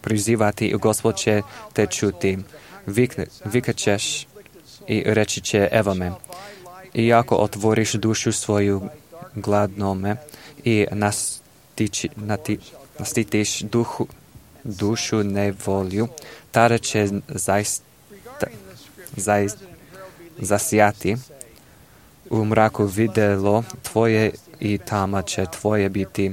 prizivati i Gospod će te čuti. Vikne, vikaćeš i reći će, evo me. I ako otvoriš dušu svoju gladnome i nastiči, nati, nastitiš duhu, dušu nevolju, tada će zaista, zaista zasijati u mraku videlo tvoje i tamo će tvoje biti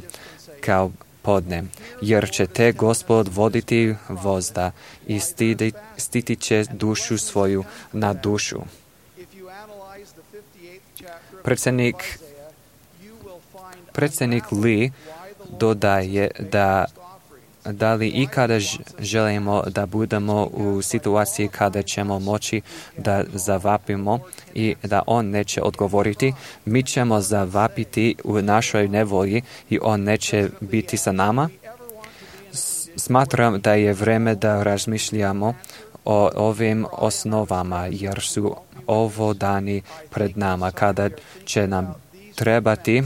kao podne, jer će te Gospod voditi vozda i stidi, stiti će dušu svoju na dušu. Predsjednik, predsjednik Lee dodaje da da li ikada želimo da budemo u situaciji kada ćemo moći da zavapimo i da on neće odgovoriti, mi ćemo zavapiti u našoj nevolji i on neće biti sa nama? Smatram da je vreme da razmišljamo o ovim osnovama, jer su ovo dani pred nama kada će nam trebati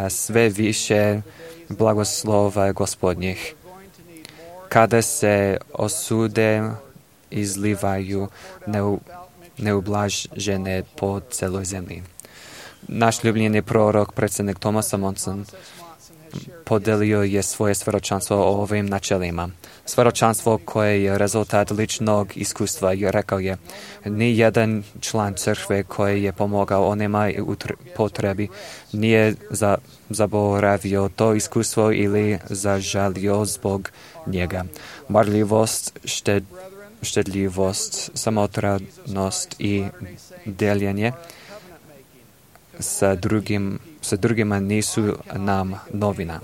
sve više blagoslova Gospodnjih. Kada se osude izlivaju neublažene po celoj zemlji. Naš ljubljeni prorok, predsjednik Thomas Monson, podelio je svoje svedočanstvo o ovim načelima. Svedočanstvo koje je rezultat ličnog iskustva i rekao je, ni jedan član crkve koji je pomogao onima u potrebi nije za, zaboravio to iskustvo ili zažalio zbog njega. Marljivost, šted, štedljivost, samotranost i deljenje sa, drugim, sa drugima nisu nam novina.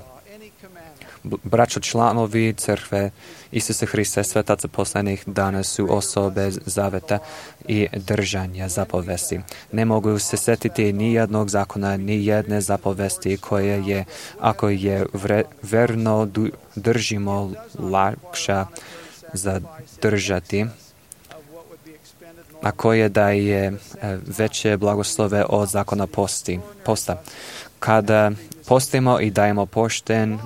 Braćo članovi crkve Isusa Hrista, svetaca poslednjih dana su osobe zaveta i držanja zapovesti. Ne mogu se setiti ni jednog zakona, ni jedne zapovesti koje je, ako je vre, verno držimo, lakša zadržati a koje daje veće blagoslove od zakona posti, posta. Kada postimo i dajemo pošten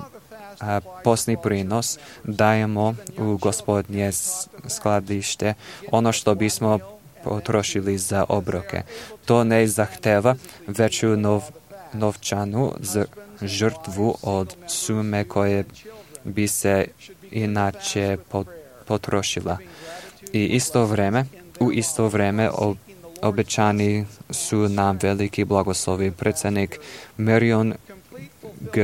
a, postni prinos, dajemo u Gospodnje skladište ono što bismo potrošili za obroke. To ne zahteva veću nov, novčanu žrtvu od sume koje bi se inače potrošila. I isto vreme, u isto vreme ob, obećani su nam veliki blagoslovi. Predsjednik Marion G.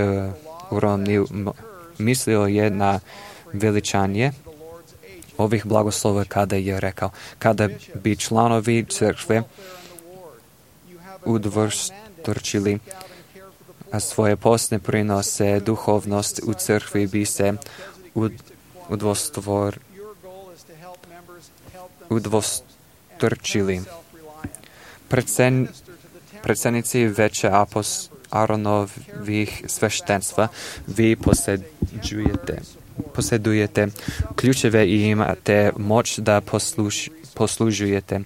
Romney mislio je na veličanje ovih blagoslova kada je rekao, kada bi članovi crkve udvostručili svoje postne prinose, duhovnost u crkvi bi se udvostvor, udvostručili. Predsen, predsjednici veće apos, Aronovih sveštenstva, vi posjedujete, posjedujete ključeve i imate moć da posluž, poslužujete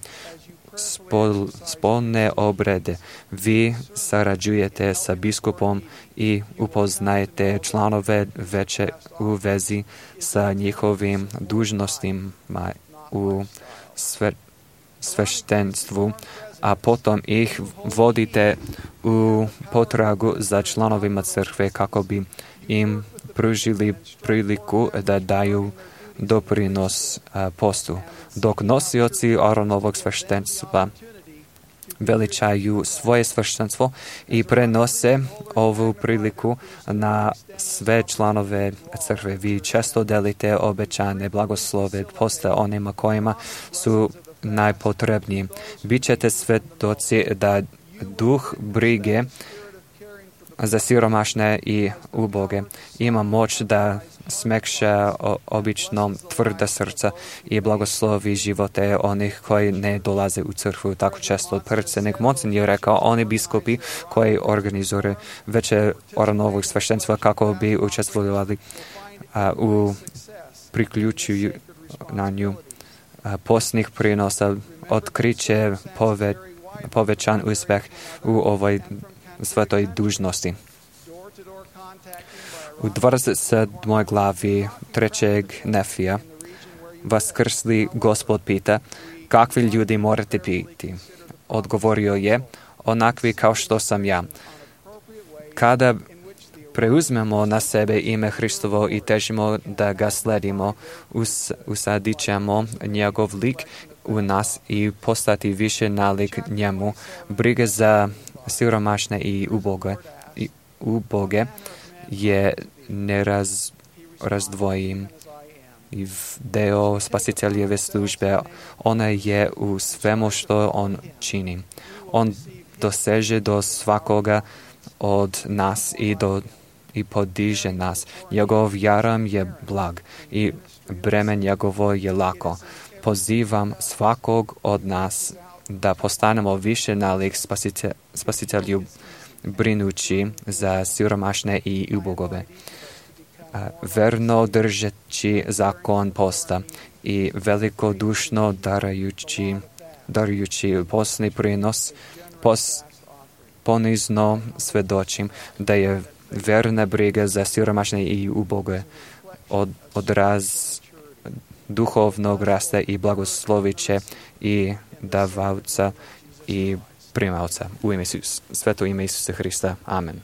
spol, spolne obrede. Vi sarađujete sa biskupom i upoznajete članove veće u vezi sa njihovim dužnostima u sve, sveštenstvu, a potom ih vodite u potragu za članovima crkve kako bi im pružili priliku da daju doprinos a, postu. Dok nosioci Aronovog sveštenstva veličaju svoje sveštenstvo i prenose ovu priliku na sve članove crkve. Vi često delite obećane blagoslove posta onima kojima su najpotrebniji. Bićete svjedoci da duh brige za siromašne i uboge ima moć da smekša obično tvrda srca i blagoslovi živote onih koji ne dolaze u crkvu tako često. Predsjednik Monson je rekao, oni biskupi koji organizuju veće Aronovog sveštenstva kako bi učestvovali a, u priključuju postnih prinosa, otkriće pove, povećan uspjeh u ovoj svetoj dužnosti. U dvadeset sedmoj glavi trećeg Nefija vaskrsli Gospod pita, kakvi ljudi morate biti? Odgovorio je, onakvi kao što sam ja. Kada preuzmemo na sebe ime Hristovo i težimo da ga sledimo, us, usadit ćemo njegov lik u nas i postati više nalik njemu. Brige za siromašne i uboge, i uboge je nerazdvojim deo spasiteljeve službe. Ona je u svemu što on čini. On doseže do svakoga od nas i do i podiže nas. Njegov jaram je blag i breme njegovo je lako. Pozivam svakog od nas da postanemo više nalik spasite, spasitelju brinući za siromašne i ubogove. Verno držeći zakon posta i velikodušno darajući, darujući postni prinos, pos, ponizno svedočim da je verna briga za siromašne i uboge od, odraz duhovnog rasta i blagosloviće i davaoca i primaoca. U ime Isus, sveto ime Isusa Hrista. Amen.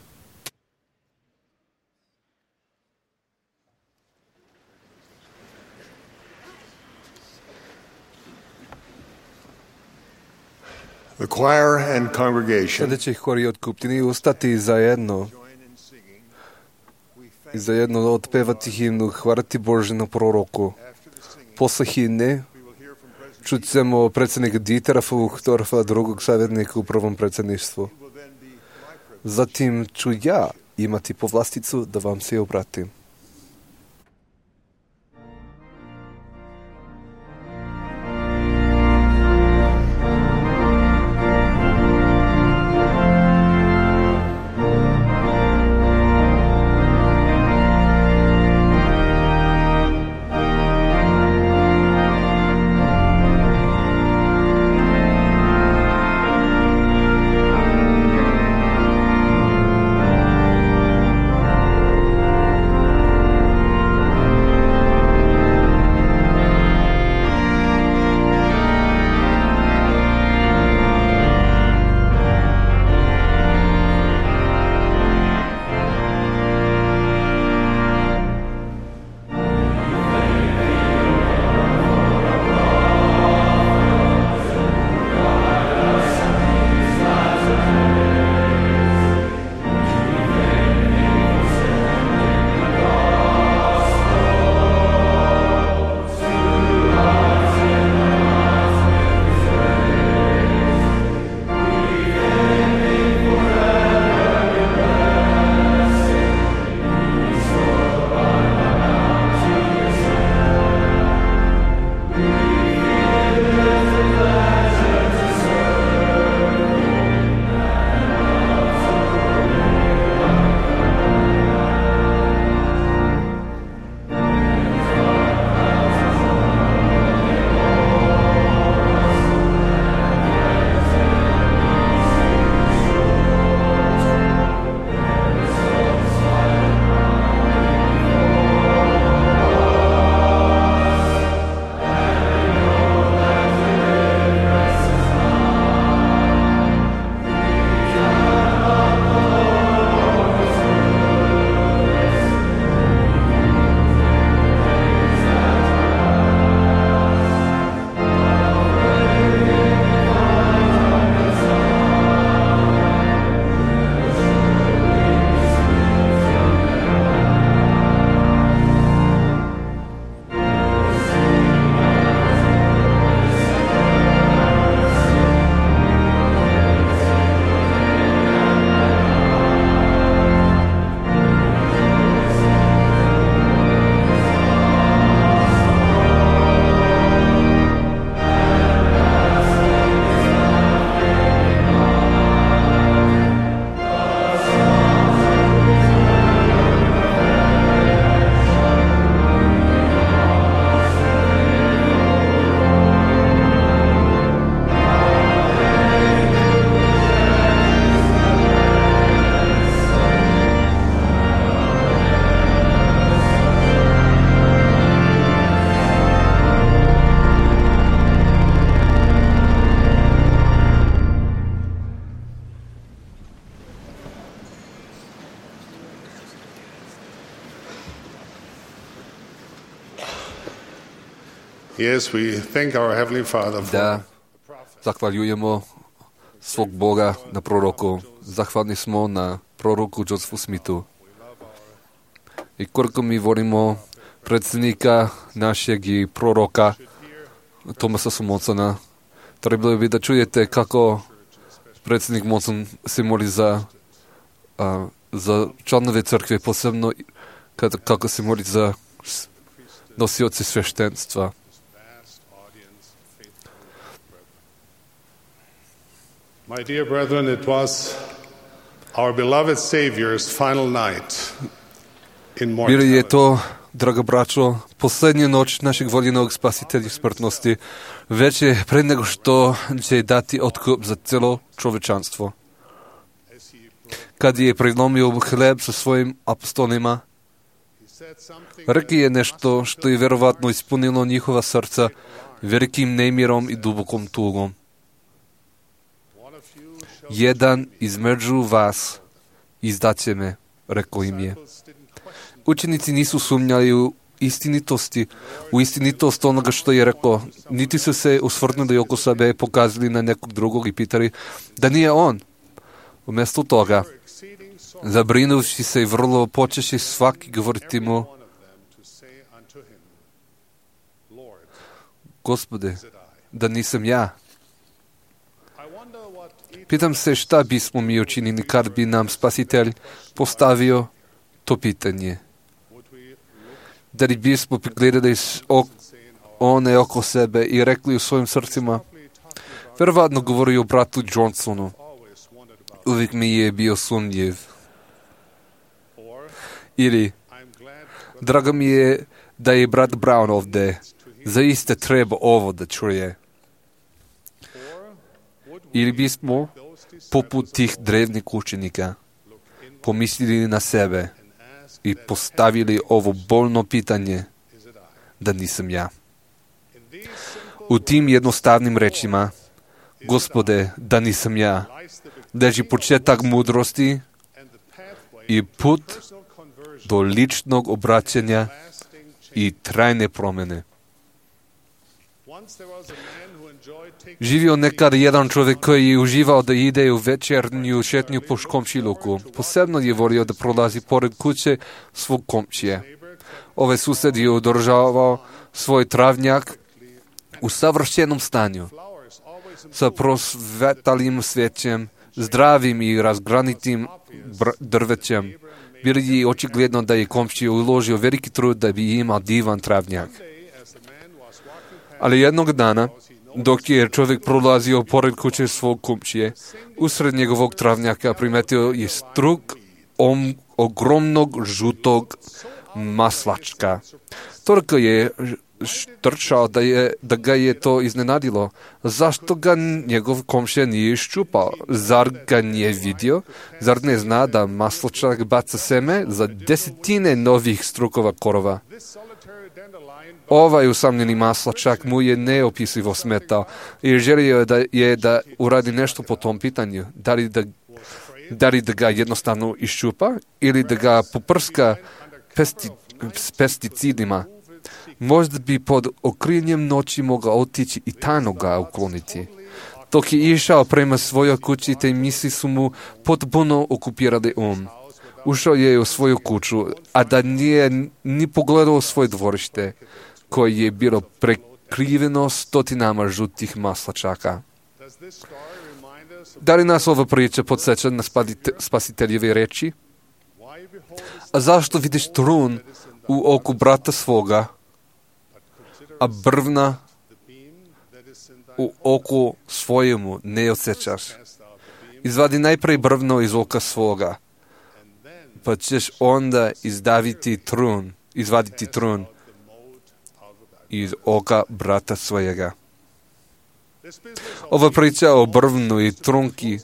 The choir and congregation Sljedeći hor i otkupljeni ustati zajedno i zajedno otpevati himnu Hvala ti Bože na proroku. Posle himne čućemo predsjednika Dietera Fuchtorfa, drugog savjetnika u prvom predsjedništvu. Zatim ću ja imati povlasticu da vam se obratim. Yes, we thank our Heavenly Father for Da zahvaljujemo svog Boga na proroku. Zahvalni smo na proroku Josefu Smithu. I koliko mi volimo predsjednika našeg i proroka Thomasa Mondsona, trebalo bi da čujete kako predsjednik Mondson se moli za, a, za članove crkve, posebno kad, kako se moli za nosioci sveštenstva. My dear brethren, it was our beloved Savior's final night in Bilo je mortality. to, draga braćo, posljednja noć našeg voljenog spasitelja smrtnosti, već je pre nego što će dati otkup za celo čovečanstvo. Kad je prelomio hleb sa svojim apostolima, rekao je nešto što je verovatno ispunilo njihova srca velikim nemirom i dubokom tugom. Jedan između vas izdaće me, rekao im je. Učenici nisu sumnjali u istinitosti, u istinitost onoga što je rekao, niti su se usvrnuli oko sebe i pokazali na nekog drugog i pitali da nije on. Umjesto toga, zabrinuvši se i vrlo počeši svaki govoriti mu: Gospode, da nisam ja. Pitam se šta bismo mi učinili kad bi nam spasitelj postavio to pitanje. Da li bismo pogledali ok, one oko sebe i rekli u svojim srcima: verovatno govori o bratu Johnsonu. Uvijek mi je bio sumnjiv. Ili, drago mi je da je brat Brown ovdje. Zaista treba ovo da čuje. Ili bismo, poput tih drevnih učenika, pomislili na sebe i postavili ovo bolno pitanje: da nisam ja. U tim jednostavnim rečima: Gospode, da nisam ja, leži početak mudrosti i put do ličnog obraćanja i trajne promjene. Živio nekad jedan čovjek koji je uživao da ide u večernju šetnju po komšiluku. Posebno je volio da prolazi pored kuće svog komšije. Ovaj susjed je održavao svoj travnjak u savršenom stanju, sa prosvetalim svećem, zdravim i razgranitim drvećem. Bilo je očigledno da je komšija uložio veliki trud da bi imao divan travnjak. Ali jednog dana, dok je čovjek prolazio pored kuće svog komšije, usred njegovog travnjaka primetio je struk om, ogromnog žutog maslačka. Toliko je štrčao da, je, da ga je to iznenadilo. Zašto ga njegov komšija nije iščupao? Zar ga nije vidio? Zar ne zna da maslačak baca seme za desetine novih strukova korova? Ovaj usamljeni maslačak mu je neopisivo smetao i želio je da, je da uradi nešto po tom pitanju. Da li da, da li da ga jednostavno iščupa ili da ga poprska pesti, s pesticidima. Možda bi pod okriljem noći mogao otići i tajno ga ukloniti. Dok je išao prema svojoj kući, te misli su mu potpuno okupirali um. Ušao je u svoju kuću, a da nije ni pogledao svoje dvorište, koje je bilo prekriveno stotinama žutih maslačaka. Da li nas ova priča podsjeća na spasiteljeve reči? A zašto vidiš trun u oku brata svoga, a brvna u oku svojemu ne osjećaš? Izvadi najprije brvno iz oka svoga, pa ćeš onda izdaviti trun, izvaditi trun iz oka brata svojega. Ova priča o brvnu i trunki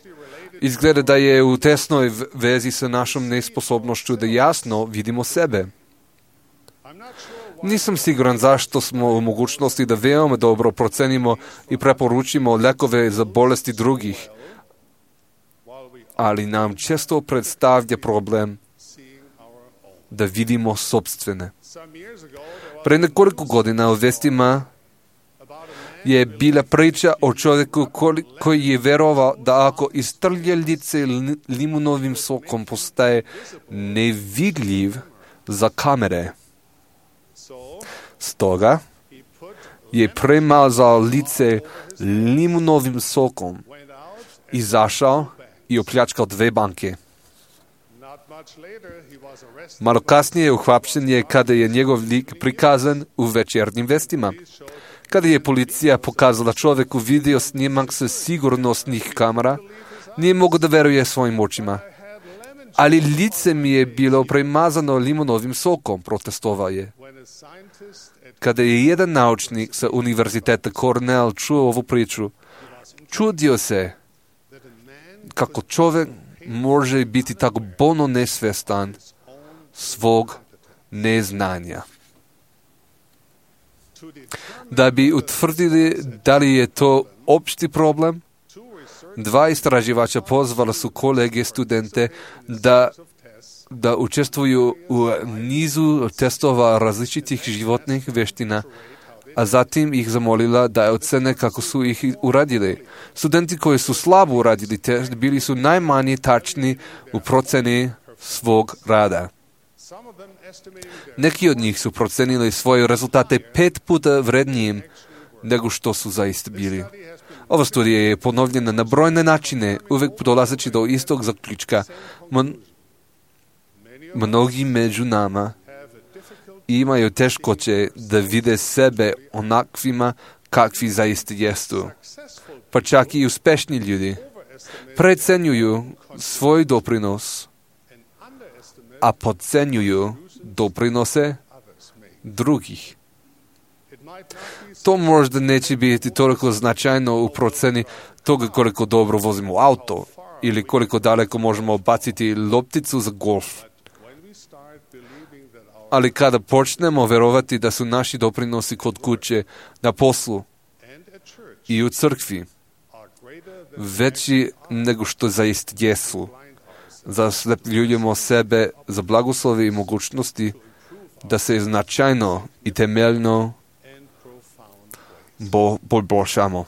izgleda da je u tesnoj vezi sa našom nesposobnošću da jasno vidimo sebe. Nisam siguran zašto smo u mogućnosti da veoma dobro procenimo i preporučimo lekove za bolesti drugih, ali nam često predstavlja problem da vidimo sopstvene. Pre nekoliko godina u vestima je bila priča o čovjeku koji je verovao da ako istrlje lice limunovim sokom postaje nevidljiv za kamere. Stoga je premazao lice limunovim sokom, izašao i opljačkao dve banke. Malo kasnije uhapšen je kada je njegov lik prikazan u večernjim vestima. Kada je policija pokazala čovjeku video snimak sa sigurnosnih kamera, nije mogao da veruje svojim očima. Ali lice mi je bilo premazano limunovim sokom, protestovao je. Kada je jedan naučnik sa univerziteta Cornell čuo ovu priču, čudio se kako čovjek može biti tako bolno nesvjestan svog neznanja. Da bi utvrdili da li je to opšti problem, dva istraživača pozvala su kolege studente da, da učestvuju u nizu testova različitih životnih veština, a zatim ih zamolila da ocene kako su ih uradili. Studenti koji su slabo uradili test bili su najmanje tačni u proceni svog rada. Neki od njih su procenili svoje rezultate pet puta vrednijim nego što su zaista bili. Ova studija je ponovljena na brojne načine, uvijek dolazeći do istog zaključka. Mon... Mnogi među nama imaju teškoće da vide sebe onakvima kakvi zaista jesu. Pa čak i uspešni ljudi precenjuju svoj doprinos, a podcenjuju doprinose drugih. To možda neće biti toliko značajno u proceni toga koliko dobro vozimo auto ili koliko daleko možemo baciti lopticu za golf. Ali kada počnemo verovati da su naši doprinosi kod kuće, na poslu i u crkvi veći nego što zaista jesu, zaslepljujemo sebe za blagoslovi i mogućnosti da se značajno i temeljno bo, poboljšamo.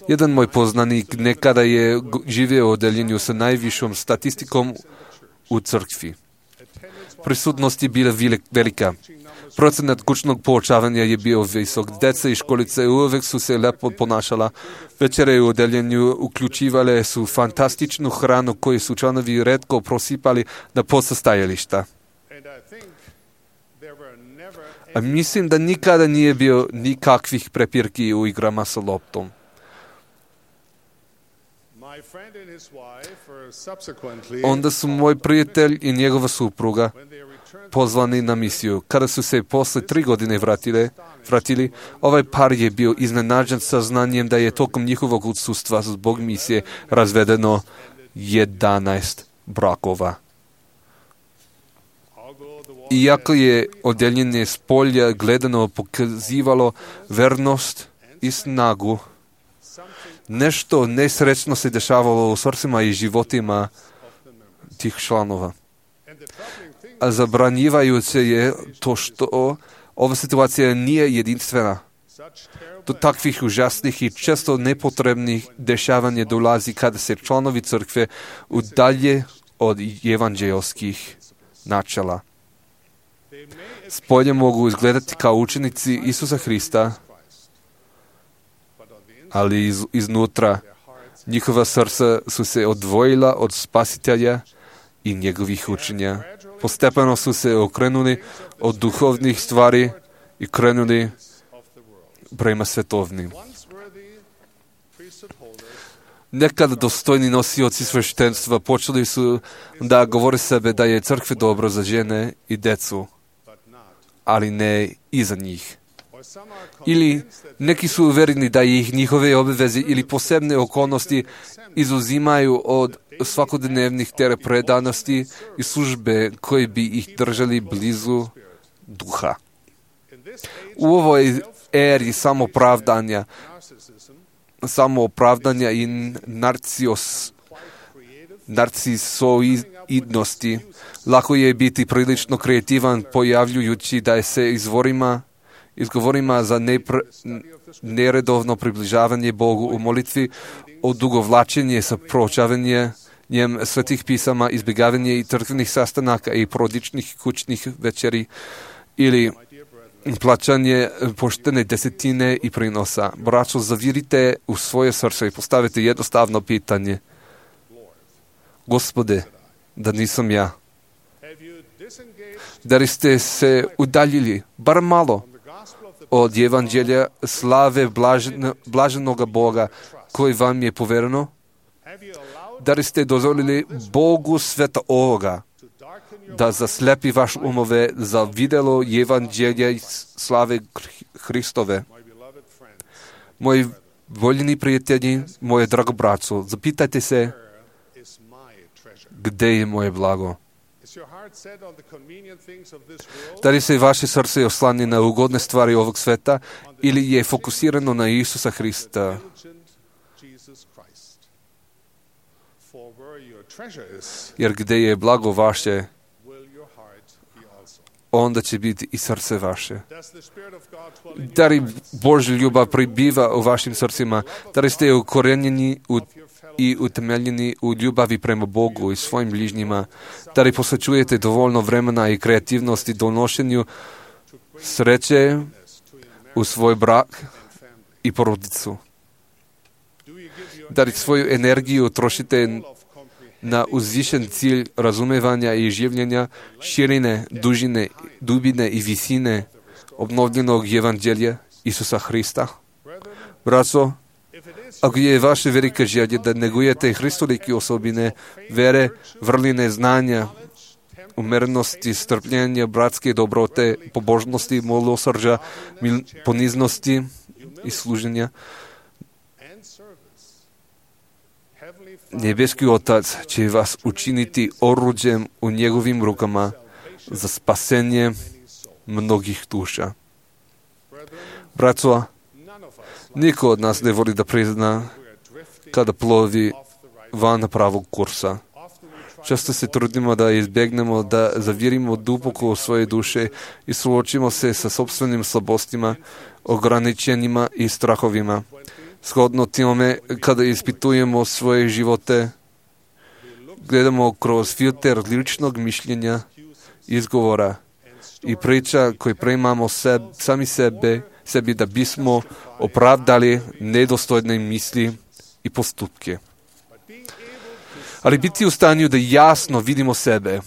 Jedan moj poznanik nekada je živio u odeljenju sa najvišom statistikom u crkvi. Prisutnost je bila velika. Procenat kućnog poučavanja je bio visok. Deca i školice uvijek su se lepo ponašala. Večere u odeljenju uključivale su fantastičnu hranu koju su članovi retko prosipali na podsastajališta. A mislim da nikada nije bio nikakvih prepirki u igrama sa loptom. Onda su moj prijatelj i njegova supruga pozvani na misiju. Kada su se posle tri godine vratile, vratili, ovaj par je bio iznenađen saznanjem da je tokom njihovog odsustva zbog misije razvedeno jedanaest brakova. Iako je odjeljenje s polja gledano pokazivalo vernost i snagu, nešto nesrećno se dešavalo u srcima i životima tih članova. A zabranjivajuće je to što ova situacija nije jedinstvena. Do takvih užasnih i često nepotrebnih dešavanja dolazi kada se članovi crkve udalje od evanđelskih načela. Spolje mogu izgledati kao učenici Isusa Hrista, ali iz, iznutra njihova srca su se odvojila od Spasitelja i njegovih učenja. Postepeno su se okrenuli od duhovnih stvari i krenuli prema svetovnim. Nekad dostojni nosioci sveštenstva počeli su da govore sebe da je crkve dobro za žene i decu, ali ne i za njih. Ili neki su uvjereni da ih njihove obaveze ili posebne okolnosti izuzimaju od svakodnevnih predanosti i službe koje bi ih držali blizu duha. U ovoj eri samoopravdanja, samoopravdanja i narcios, narcisoidnosti, lako je biti prilično kreativan pojavljujući da se izvorima izgovorima za nepr... neredovno približavanje Bogu u molitvi, odugovlačenje sa proučavanjem svetih pisama, izbjegavanje i crkvenih sastanaka i porodičnih kućnih večeri ili plaćanje poštene desetine i prinosa. Braćo, zavirite u svoje srce i postavite jednostavno pitanje. Gospode, da nisam ja. Da li ste se udaljili, bar malo, od evanđelja slave blaženo, blaženoga Boga koji vam je povereno? Da li ste dozvolili Bogu sveta ovoga da zaslepi vaš umove za videlo evanđelja slave Hristove? Moji voljeni prijatelji, moje drago braco, zapitajte se, gde je moje blago? Da li se vaše srce oslani na ugodne stvari ovog sveta ili je fokusirano na Isusa Hrista? Jer gde je blago vaše, onda će biti i srce vaše. Da li Božja ljubav pribiva u vašim srcima? Da li ste ukorenjeni u i utemeljeni u ljubavi prema Bogu i svojim bližnjima? Da li posvećujete dovoljno vremena i kreativnosti donošenju sreće u svoj brak i porodicu? Da li svoju energiju trošite na uzvišen cilj razumevanja i življenja, širine, dužine, dubine i visine obnovljenog evanđelja Isusa Hrista? Braco, ako je vaše velika želja da negujete hristolike osobine, vere, vrline znanja, umerenosti, strpljenja, bratske dobrote, pobožnosti, milosrđa, poniznosti i služenja, nebeski Otac će vas učiniti oruđem u njegovim rukama za spasenje mnogih duša. Braco, niko od nas ne voli da prizna kada plovi van pravog kursa. Često se trudimo da izbjegnemo, da zavirimo duboko u svoje duše i suočimo se sa sopstvenim slabostima, ograničenjima i strahovima. Shodno tome, kada ispitujemo svoje živote, gledamo kroz filter ličnog mišljenja, izgovora i priča koje primamo seb, sami sebe, sebi da bismo opravdali nedostojne misli i postupke. Ali biti u stanju da jasno vidimo sebe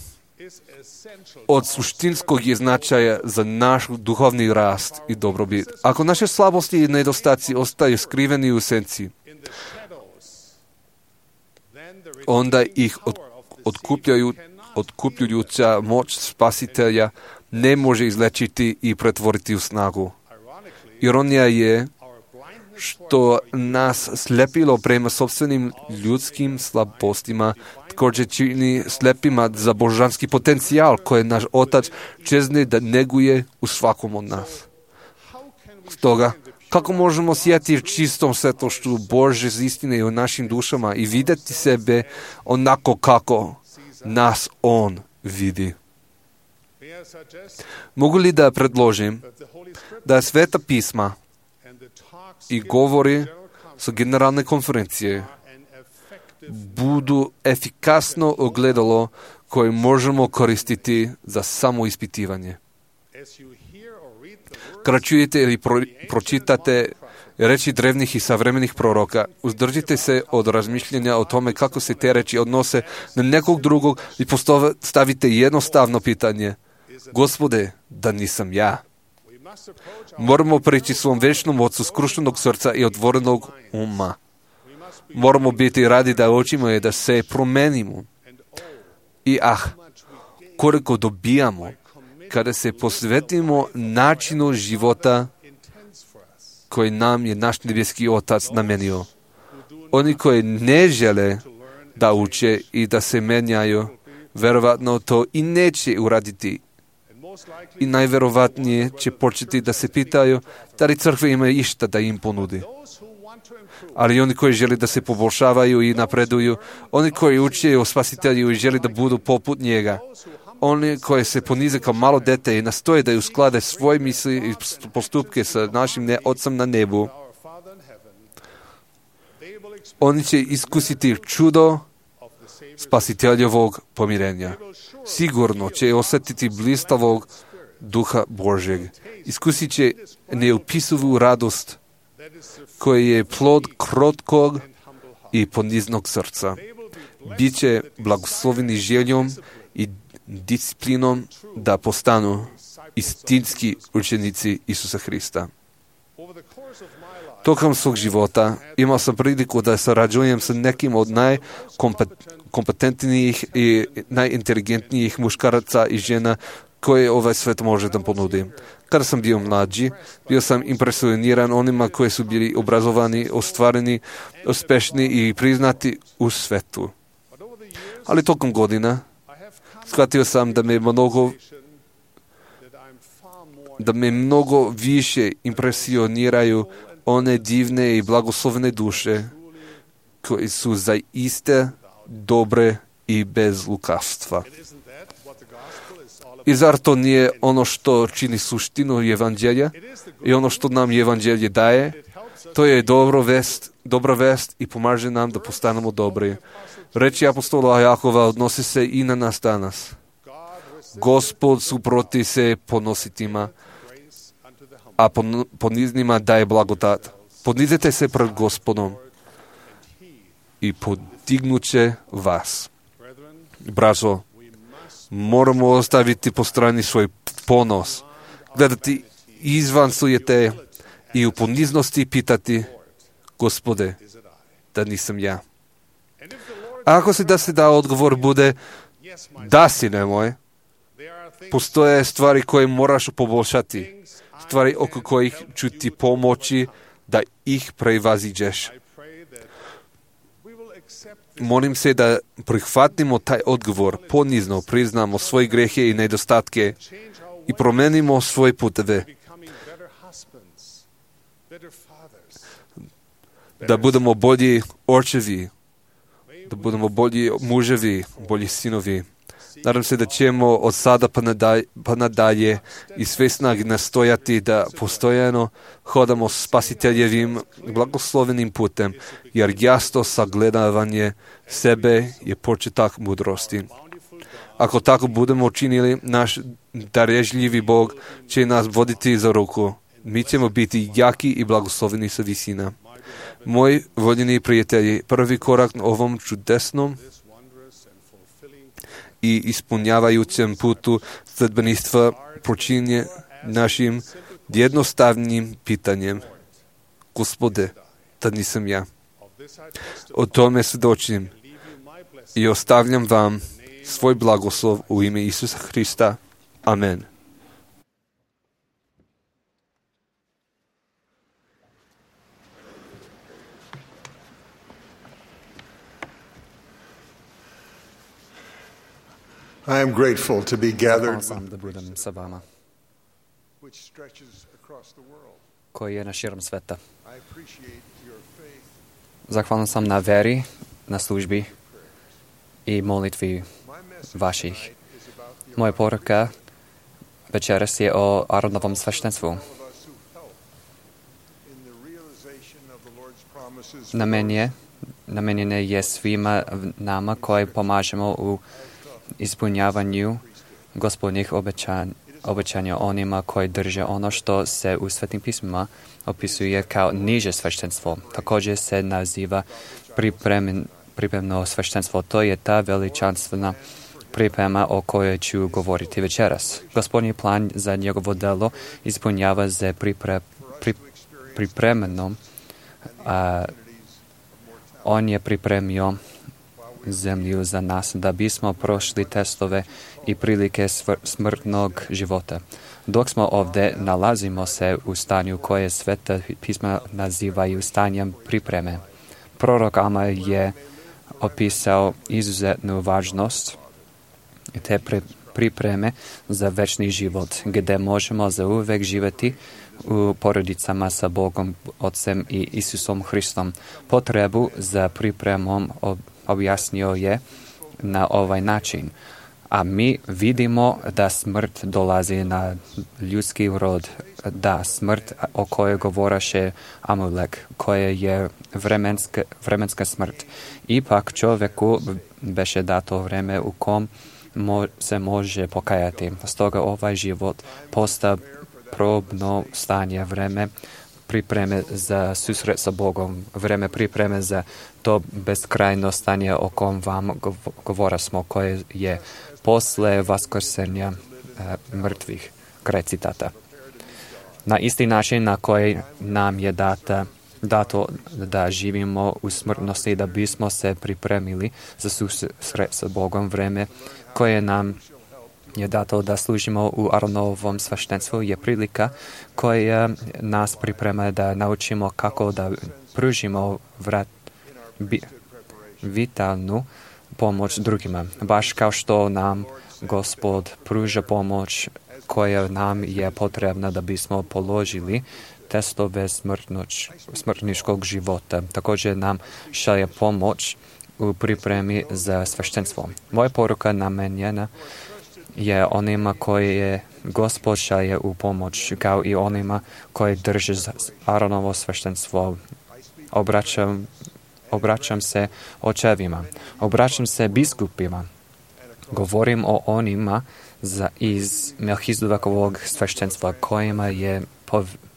od suštinskog je značaja za naš duhovni rast i dobrobit. Ako naše slabosti i nedostaci ostaju skriveni u senci, onda ih od, otkupljaju, otkupljujuća moć spasitelja ne može izlečiti i pretvoriti u snagu. Ironija je što nas slepilo prema sobstvenim ljudskim slabostima, također čini slepima za božanski potencijal koje naš Otac čezne da neguje u svakom od nas. Stoga, kako možemo sjeti čistom svjetlošću Božje istine u našim dušama i vidjeti sebe onako kako nas On vidi? Mogu li da predložim da Sveta pisma i govori sa generalne konferencije budu efikasno ogledalo koje možemo koristiti za samoispitivanje. Kada čujete ili pro, pročitate reči drevnih i savremenih proroka, uzdržite se od razmišljenja o tome kako se te reči odnose na nekog drugog i postavite jednostavno pitanje: Gospode, da nisam ja? Moramo preći svom večnom Ocu skrušenog srca i otvorenog uma. Moramo biti radi da učimo i da se promenimo. I ah, koliko dobijamo kada se posvetimo načinu života koji nam je naš nebeski Otac namenio. Oni koji ne žele da uče i da se menjaju, verovatno to i neće uraditi. I najverovatnije će početi da se pitaju da li crkve imaju išta da im ponudi. Ali oni koji žele da se poboljšavaju i napreduju, oni koji uče o Spasitelju i žele da budu poput njega, oni koji se ponize kao malo dete i nastoje da usklade svoje misli i postupke sa našim ne, Otcem na nebu, oni će iskusiti čudo spasiteljevog pomirenja. Sigurno će osjetiti blistavog duha Božjeg. Iskusit će neopisivu radost koji je plod krotkog i poniznog srca. Biće blagosloveni željom i disciplinom da postanu istinski učenici Isusa Hrista. Tokom svog života imao sam priliku da sarađujem sa nekim od najkompetentnijih i najinteligentnijih muškaraca i žena koje ovaj svet može da ponudi. Kada sam bio mlađi, bio sam impresioniran onima koji su bili obrazovani, ostvareni, uspešni i priznati u svetu. Ali tokom godina shvatio sam da me mnogo da me mnogo više impresioniraju one divne i blagoslovene duše koje su zaiste dobre i bez lukavstva. I zar to nije ono što čini suštinu evanđelja i ono što nam evanđelje daje? To je dobro vest, dobra vest i pomaže nam da postanemo dobri. Reči apostola Jakova odnosi se i na nas danas. Gospod suproti se ponositima, a poniznima daje blagodat. Ponizite se pred Gospodom i podignuće vas. Braćo, moramo ostaviti po strani svoj ponos, gledati izvan sujete i u poniznosti pitati, Gospode, da nisam ja. A ako si da se da odgovor bude, da si nemoj, postoje stvari koje moraš poboljšati, stvari oko kojih ću ti pomoći da ih prevaziđeš. Molim se da prihvatimo taj odgovor, ponizno priznamo svoje grehe i nedostatke i promenimo svoje puteve. Da budemo bolji očevi, da budemo bolji muževi, bolji sinovi. Nadam se da ćemo od sada pa nadalje, pa nadalje i sve snage nastojati da postojano hodamo spasiteljevim blagoslovenim putem, jer jasno sagledavanje sebe je početak mudrosti. Ako tako budemo učinili, naš darežljivi Bog će nas voditi za ruku. Mi ćemo biti jaki i blagosloveni sa visina. Moji voljeni prijatelji, prvi korak na ovom čudesnom i ispunjavajućem putu sledbeništva počinje našim jednostavnim pitanjem. Gospode, da nisam ja. O tome svjedočim i ostavljam vam svoj blagoslov u ime Isusa Hrista. Amen. I am grateful to be gathered, Sam da budem sa vama, which stretches across the world. koji je na širom sveta. I appreciate your faith. Zahvalan sam na veri, na službi i molitvi vaših. Moja poruka večeras je o Aronovom sveštenstvu. Namenje, namenjene je svima nama koji pomažemo u ispunjavanju Gospodnjih obećanja, obećanja onima koji drže ono što se u Svetim pismima opisuje kao niže sveštenstvo. Također se naziva pripremen, pripremno sveštenstvo. To je ta veličanstvena priprema o kojoj ću govoriti večeras. Gospodnji plan za njegovo delo ispunjava se pripre, pri, pripremeno. A, on je pripremio zemlju za nas da bismo prošli testove i prilike smrtnog života. Dok smo ovdje, nalazimo se u stanju koje Sveta pisma nazivaju stanjem pripreme. Prorok Ama je opisao izuzetnu važnost te pripreme za večni život, gdje možemo zauvek živjeti u porodicama sa Bogom, Otcem i Isusom Hristom. Potrebu za pripremom objasnio je na ovaj način. A mi vidimo da smrt dolazi na ljudski rod, da smrt o kojoj govoraše Amulek, koja je vremenska, vremenska smrt. Ipak čovjeku beše dato vreme u kom mo, se može pokajati. Stoga ovaj život posta probno stanje, vreme pripreme za susret sa Bogom, vreme pripreme za to beskrajno stanje o kom vam govora smo, koje je posle vaskrsenja e, mrtvih. Kraj citata. Na isti način na koji nam je data, dato da živimo u smrtnosti, da bismo se pripremili za susret sa Bogom, vreme koje nam je dato da služimo u Aronovom sveštenstvu, je prilika koja nas priprema da naučimo kako da pružimo vrat, bi, vitalnu pomoć drugima. Baš kao što nam Gospod pruža pomoć koja nam je potrebna da bismo položili testove smrtnoć, smrtničkog života. Također nam šalje pomoć u pripremi za sveštenstvo. Moja poruka namenjena je onima koji je Gospod šalje u pomoć, kao i onima koji drže Aronovo sveštenstvo. Obraćam, obraćam se očevima, obraćam se biskupima. Govorim o onima za, iz Melchizedekovog sveštenstva kojima je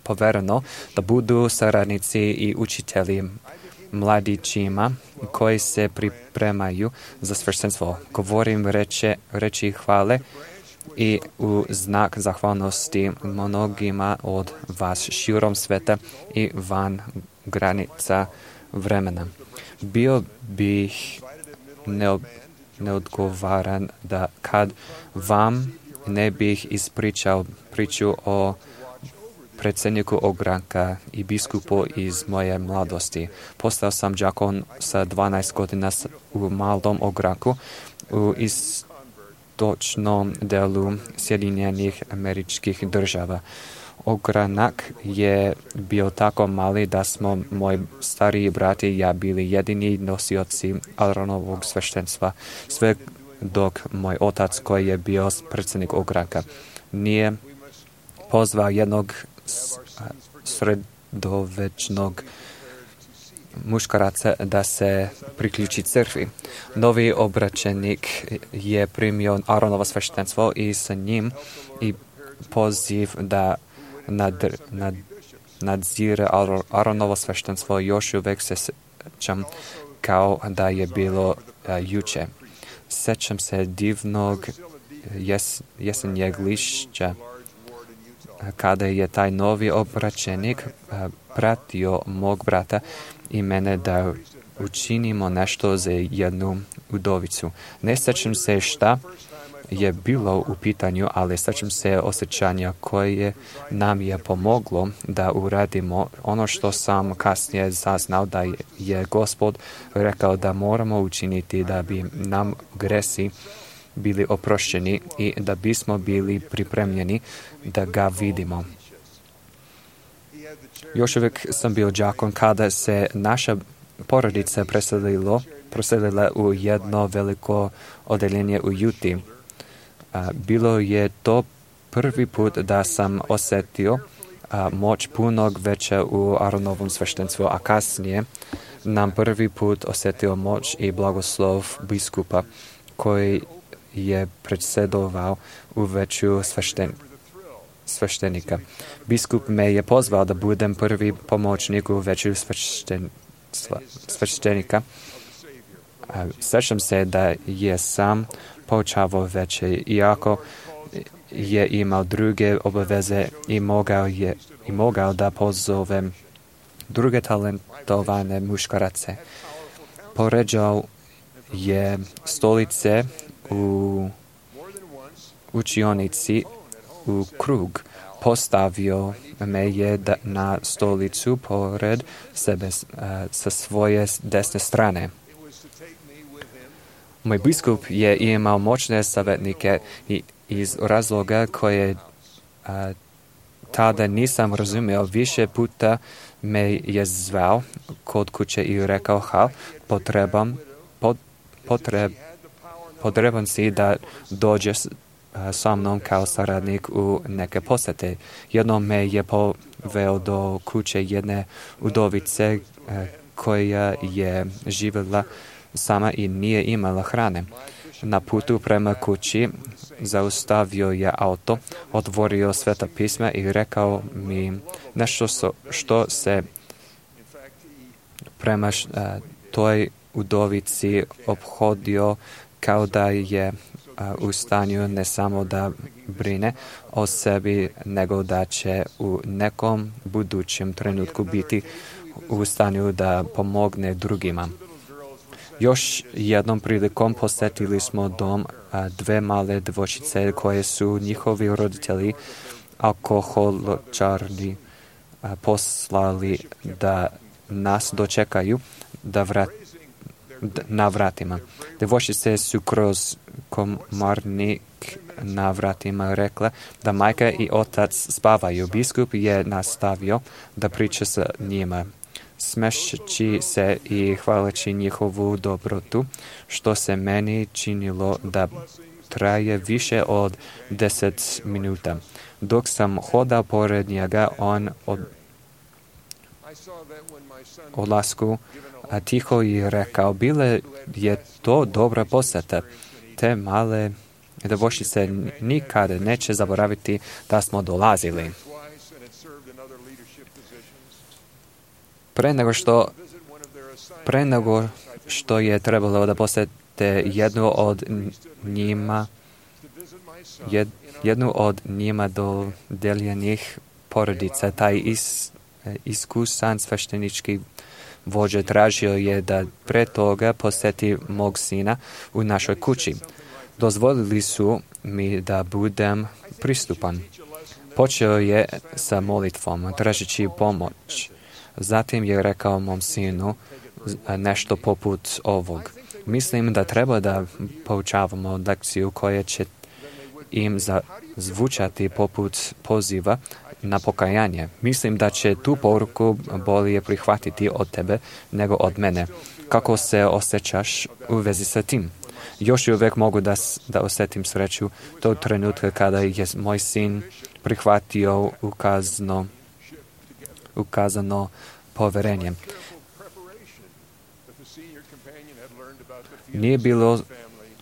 povereno da budu saradnici i učitelji mladićima koji se pripremaju za sveštenstvo. Govorim reče, reči hvale i u znak zahvalnosti mnogima od vas širom sveta i van granica vremena. Bio bih neob, neodgovaran da kad vam ne bih ispričao priču o predsjedniku ogranka i biskupu iz moje mladosti. Postao sam đakon sa dvanaest godina u malom ogranku u istočnom delu Sjedinjenih Američkih Država. Ogranak je bio tako mali da smo moji stariji brati i ja bili jedini nosioci Aronovog sveštenstva, sve dok moj otac, koji je bio predsjednik ogranka, nije pozvao jednog sredovečnog muškaraca da se priključi crkvi. Novi obraćenik je primio Aronovo sveštenstvo i sa njim i poziv da nad, nad, nadzire Aronovo sveštenstvo još uvek se sećam kao da je bilo a, juče. Sećam se divnog jes, jesenjeg lišća kada je taj novi obraćenik pratio mog brata i mene da učinimo nešto za jednu udovicu. Ne sećam se šta je bilo u pitanju, ali sećam se osjećanja koje nam je pomoglo da uradimo ono što sam kasnije saznao da je Gospod rekao da moramo učiniti da bi nam gresi bili oprošćeni i da bismo bili pripremljeni da ga vidimo. Još uvijek sam bio đakon kada se naša porodica preselilo, preselila u jedno veliko odeljenje u Juti. Bilo je to prvi put da sam osjetio moć punog veća u Aronovom sveštenstvu, a kasnije nam prvi put osjetio moć i blagoslov biskupa koji je predsjedovao u veću svešten, sveštenika. Biskup me je pozvao da budem prvi pomoćnik u veću svešten, sveštenika. Sećam se da je sam poučavao veće, iako je imao druge obaveze i mogao, je, i mogao da pozove druge talentovane muškarace. Poređao je stolice u učionici u krug. Postavio me je da, na stolicu pored sebe a, sa svoje desne strane. Moj biskup je imao moćne savjetnike i iz razloga koje a, tada nisam razumio, više puta me je zvao kod kuće i rekao, Hal, potrebam, pot, potreb, potreban si da dođeš sa mnom kao saradnik u neke posete. Jednom me je poveo do kuće jedne udovice koja je živjela sama i nije imala hrane. Na putu prema kući zaustavio je auto, otvorio Sveta pisma i rekao mi nešto so, što se prema š, a, toj udovici ophodio kao da je a, u stanju ne samo da brine o sebi, nego da će u nekom budućem trenutku biti u stanju da pomogne drugima. Još jednom prilikom posjetili smo dom a, dve male djevojčice koje su njihovi roditelji alkoholičari a, poslali da nas dočekaju da vrat, d, na vratima. Djevojčice su kroz komarnik na vratima rekle da majka i otac spavaju. Biskup je nastavio da priča sa njima, smešći se i hvaleći njihovu dobrotu, što se meni činilo da traje više od deset minuta. Dok sam hodao pored njega, on od odlasku a tiho je rekao, bile je to dobra posjeta. Te male djevojčice nikada neće zaboraviti da smo dolazili. Pre nego što, pre nego što je trebalo da posjete jednu od njima, jed, jednu od njima dodeljenih porodica, taj is, iskusan sveštenički vođa tražio je da pre toga posjeti mog sina u našoj kući. Dozvolili su mi da budem pristupan. Počeo je sa molitvom, tražeći pomoć. Zatim je rekao mom sinu nešto poput ovog. Mislim da treba da poučavamo lekciju koja će im zvučati poput poziva na pokajanje. Mislim da će tu poruku bolje prihvatiti od tebe nego od mene. Kako se osjećaš u vezi sa tim? Još uvijek mogu da, da osjetim sreću tog trenutka kada je moj sin prihvatio ukazano, ukazano poverenje. Nije bilo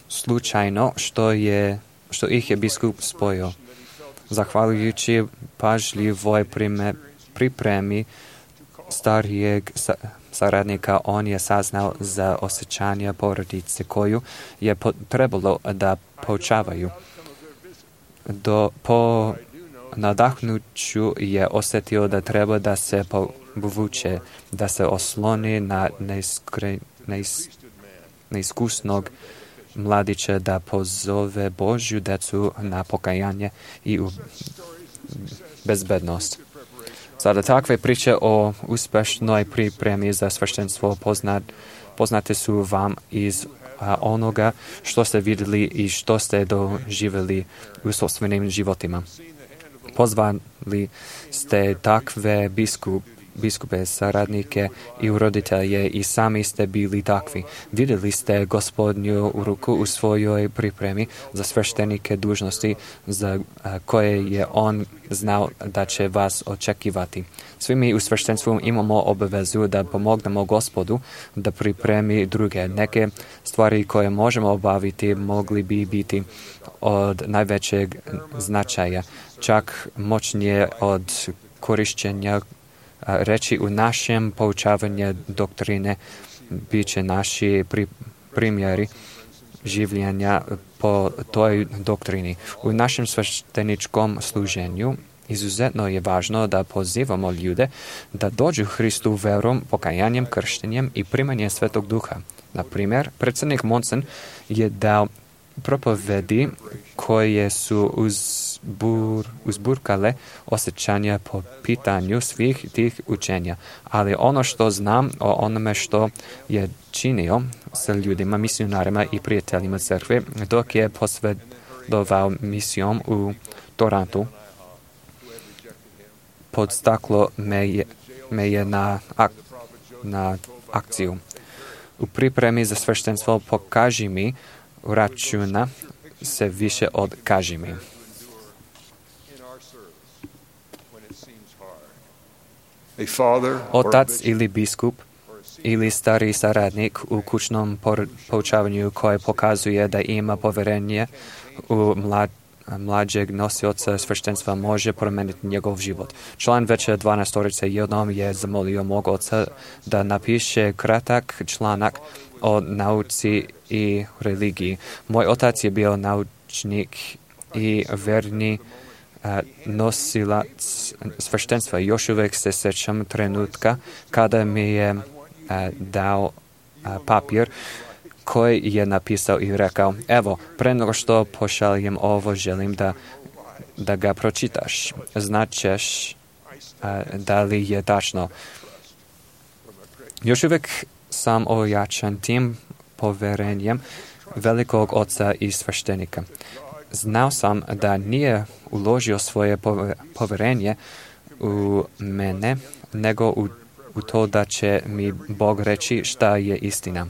slučajno što, je, što ih je biskup spojio. Zahvaljujući pažljivoj pripremi starijeg saradnika, on je saznao za osjećanja porodice koju je trebalo da poučavaju. Do, po nadahnuću je osjetio da treba da se povuče, da se osloni na neiskre, neis, neiskusnog mladića, da pozove Božju decu na pokajanje i u bezbednost. Sada takve priče o uspešnoj pripremi za sveštenstvo poznat, poznate su vam iz a, onoga što ste vidjeli i što ste doživjeli u sopstvenim životima. Pozvali ste takve biskup, biskupe, saradnike i roditelje i sami ste bili takvi. Vidjeli ste Gospodnju ruku u svojoj pripremi za sveštenike dužnosti za koje je on znao da će vas očekivati. Svi mi u sveštenstvu imamo obavezu da pomognemo Gospodu da pripremi druge. Neke stvari koje možemo obaviti mogli bi biti od najvećeg značaja, čak moćnije od korišćenja reći u našem poučavanju doktrine bit će naši pri, primjeri življenja po toj doktrini. U našem svešteničkom služenju izuzetno je važno da pozivamo ljude da dođu Hristu verom, pokajanjem, krštenjem i primanjem Svetog Duha. Na primjer, predsjednik Monson je dao propovedi koje su uzbur, uzburkale osjećanja po pitanju svih tih učenja. Ali ono što znam o onome što je činio sa ljudima, misionarima i prijateljima crkve, dok je posvedovao misijom u Torontu, podstaklo me je, me je na, ak, na akciju. U pripremi za sveštenstvo pokaži mi računa se više od kaži mi. Otac ili biskup ili stari saradnik u kućnom poučavanju koji pokazuje da ima povjerenje u mlad, mlađeg nosioca sveštenstva može promijeniti njegov život. Član veće dvanaestorice jednom je zamolio mog oca da napiše kratak članak o nauci i religiji. Moj otac je bio naučnik i verni nosilac sveštenstva. Još uvijek se sjećam trenutka kada mi je dao papir koji je napisao i rekao, evo, pre nego što pošaljem ovo, želim da, da ga pročitaš. Značeš da li je tačno. Još uvijek sam ojačan tim povjerenjem velikog oca i sveštenika. Znao sam da nije uložio svoje povjerenje u mene, nego u, u to da će mi Bog reći šta je istina.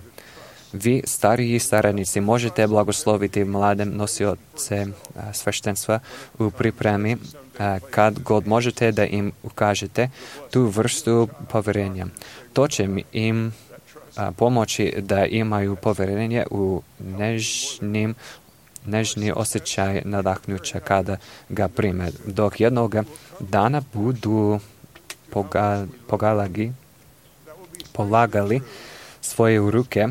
Vi, stariji saradnici, možete blagosloviti mlade nosioce sveštenstva u pripremi kad god možete da im ukažete tu vrstu povjerenja. To će im pomoći da imaju povjerenje u nežnim nežni osjećaj nadahnuća kada ga prime, dok jednog dana budu poga, pogalagi, polagali svoje ruke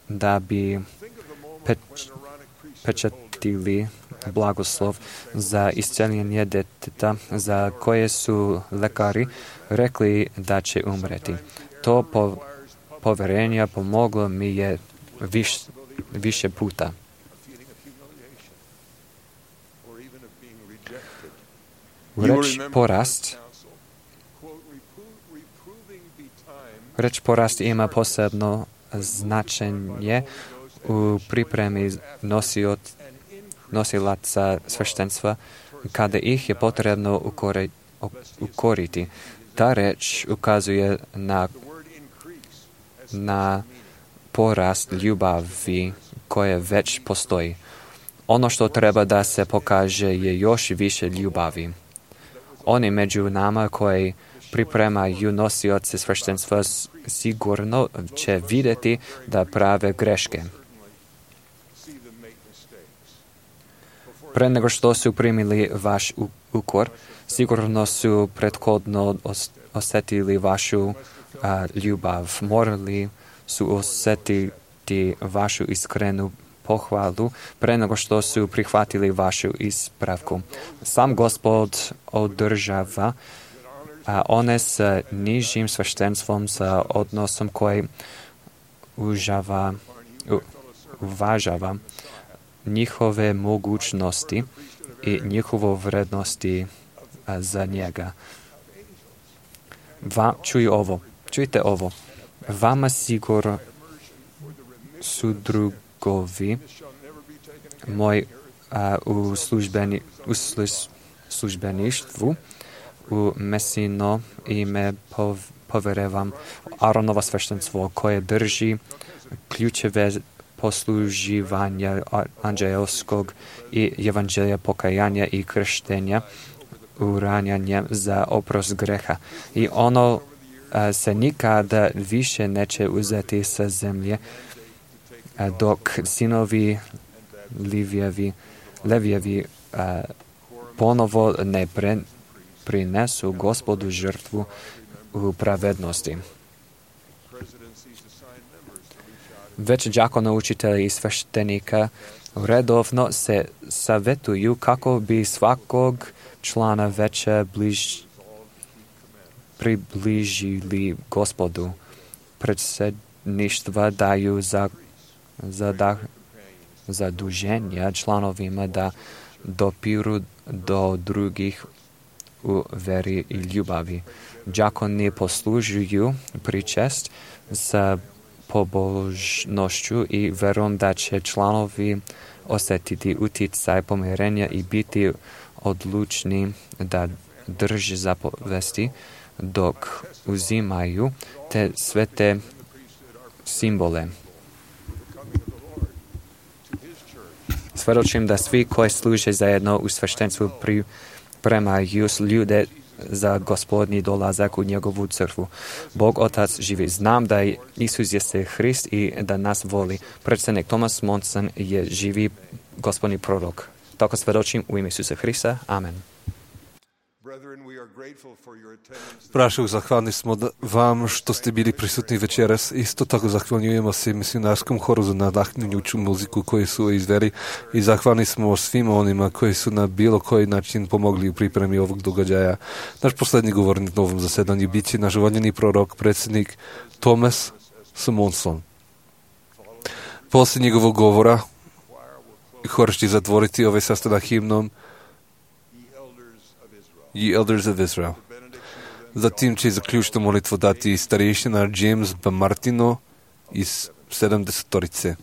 da bi peč, pečatili blagoslov za isceljenje deteta za koje su lekari rekli da će umreti. To po, povjerenje pomoglo mi je viš, više puta. Reč porast Reč porast ima posebno značenje u pripremi nosiot, nosilaca sveštenstva kada ih je potrebno ukore, ukoriti. Ta reč ukazuje na, na porast ljubavi koje već postoji. Ono što treba da se pokaže je još više ljubavi. Oni među nama koji pripremaju nosioce sveštenstva sigurno će vidjeti da prave greške. Pre nego što su primili vaš ukor, sigurno su prethodno osjetili vašu a, ljubav. Morali su osjetiti vašu iskrenu pohvalu pre nego što su prihvatili vašu ispravku. Sam Gospod održava a one s nižim sveštenstvom, sa odnosom koji užava, u, uvažava njihove mogućnosti i njihovo vrednosti a, za njega. Va, čuj ovo, čujte ovo. Vama sigurno su drugovi moj a, u, službeni, u službeništvu u Mesino ime pov, poverevam Aronova sveštenstvo koje drži ključeve posluživanja anđelskog i evanđelja pokajanja i krštenja uranjanjem za oprost greha. I ono a, se nikada više neće uzeti sa zemlje a, dok sinovi Livjevi, Levjevi a, ponovo ne pre, prinesu Gospodu žrtvu u pravednosti. Već đakona, učitelji i sveštenika redovno se savjetuju kako bi svakog člana veće bliž, približili Gospodu. Predsjedništva daju za, za zaduženja članovima da dopiru do drugih u veri i ljubavi. Đakoni poslužuju pričest sa pobožnošću i verom da će članovi osjetiti utjecaj pomirenja i biti odlučni da drže zapovesti dok uzimaju te sve te simbole. Svedočim da svi koji služe zajedno u sveštenstvu pripremaju ljude za gospodnji dolazak u njegovu crkvu. Bog Otac živi. Znam da Isus jeste Hrist i da nas voli. Predsjednik Thomas Monson je živi gospodnji prorok. Tako svedočim u ime Isusa Hrista. Amen. Braćo, zahvalni smo vam što ste bili prisutni večeras. Isto tako zahvaljujemo se misionarskom horu za nadahnjuću muziku koju su izveli i zahvalni smo svima onima koji su na bilo koji način pomogli u pripremi ovog događaja. Naš posljednji govornik na ovom zasedanju bit će naš voljeni prorok, predsjednik Thomas Monson. Poslije njegovog govora hor će zatvoriti ovaj sastanak himnom Ye Elders of Israel. Zatim će zaključnu molitvu dati starješina James B. Martino iz sedamdesetorice.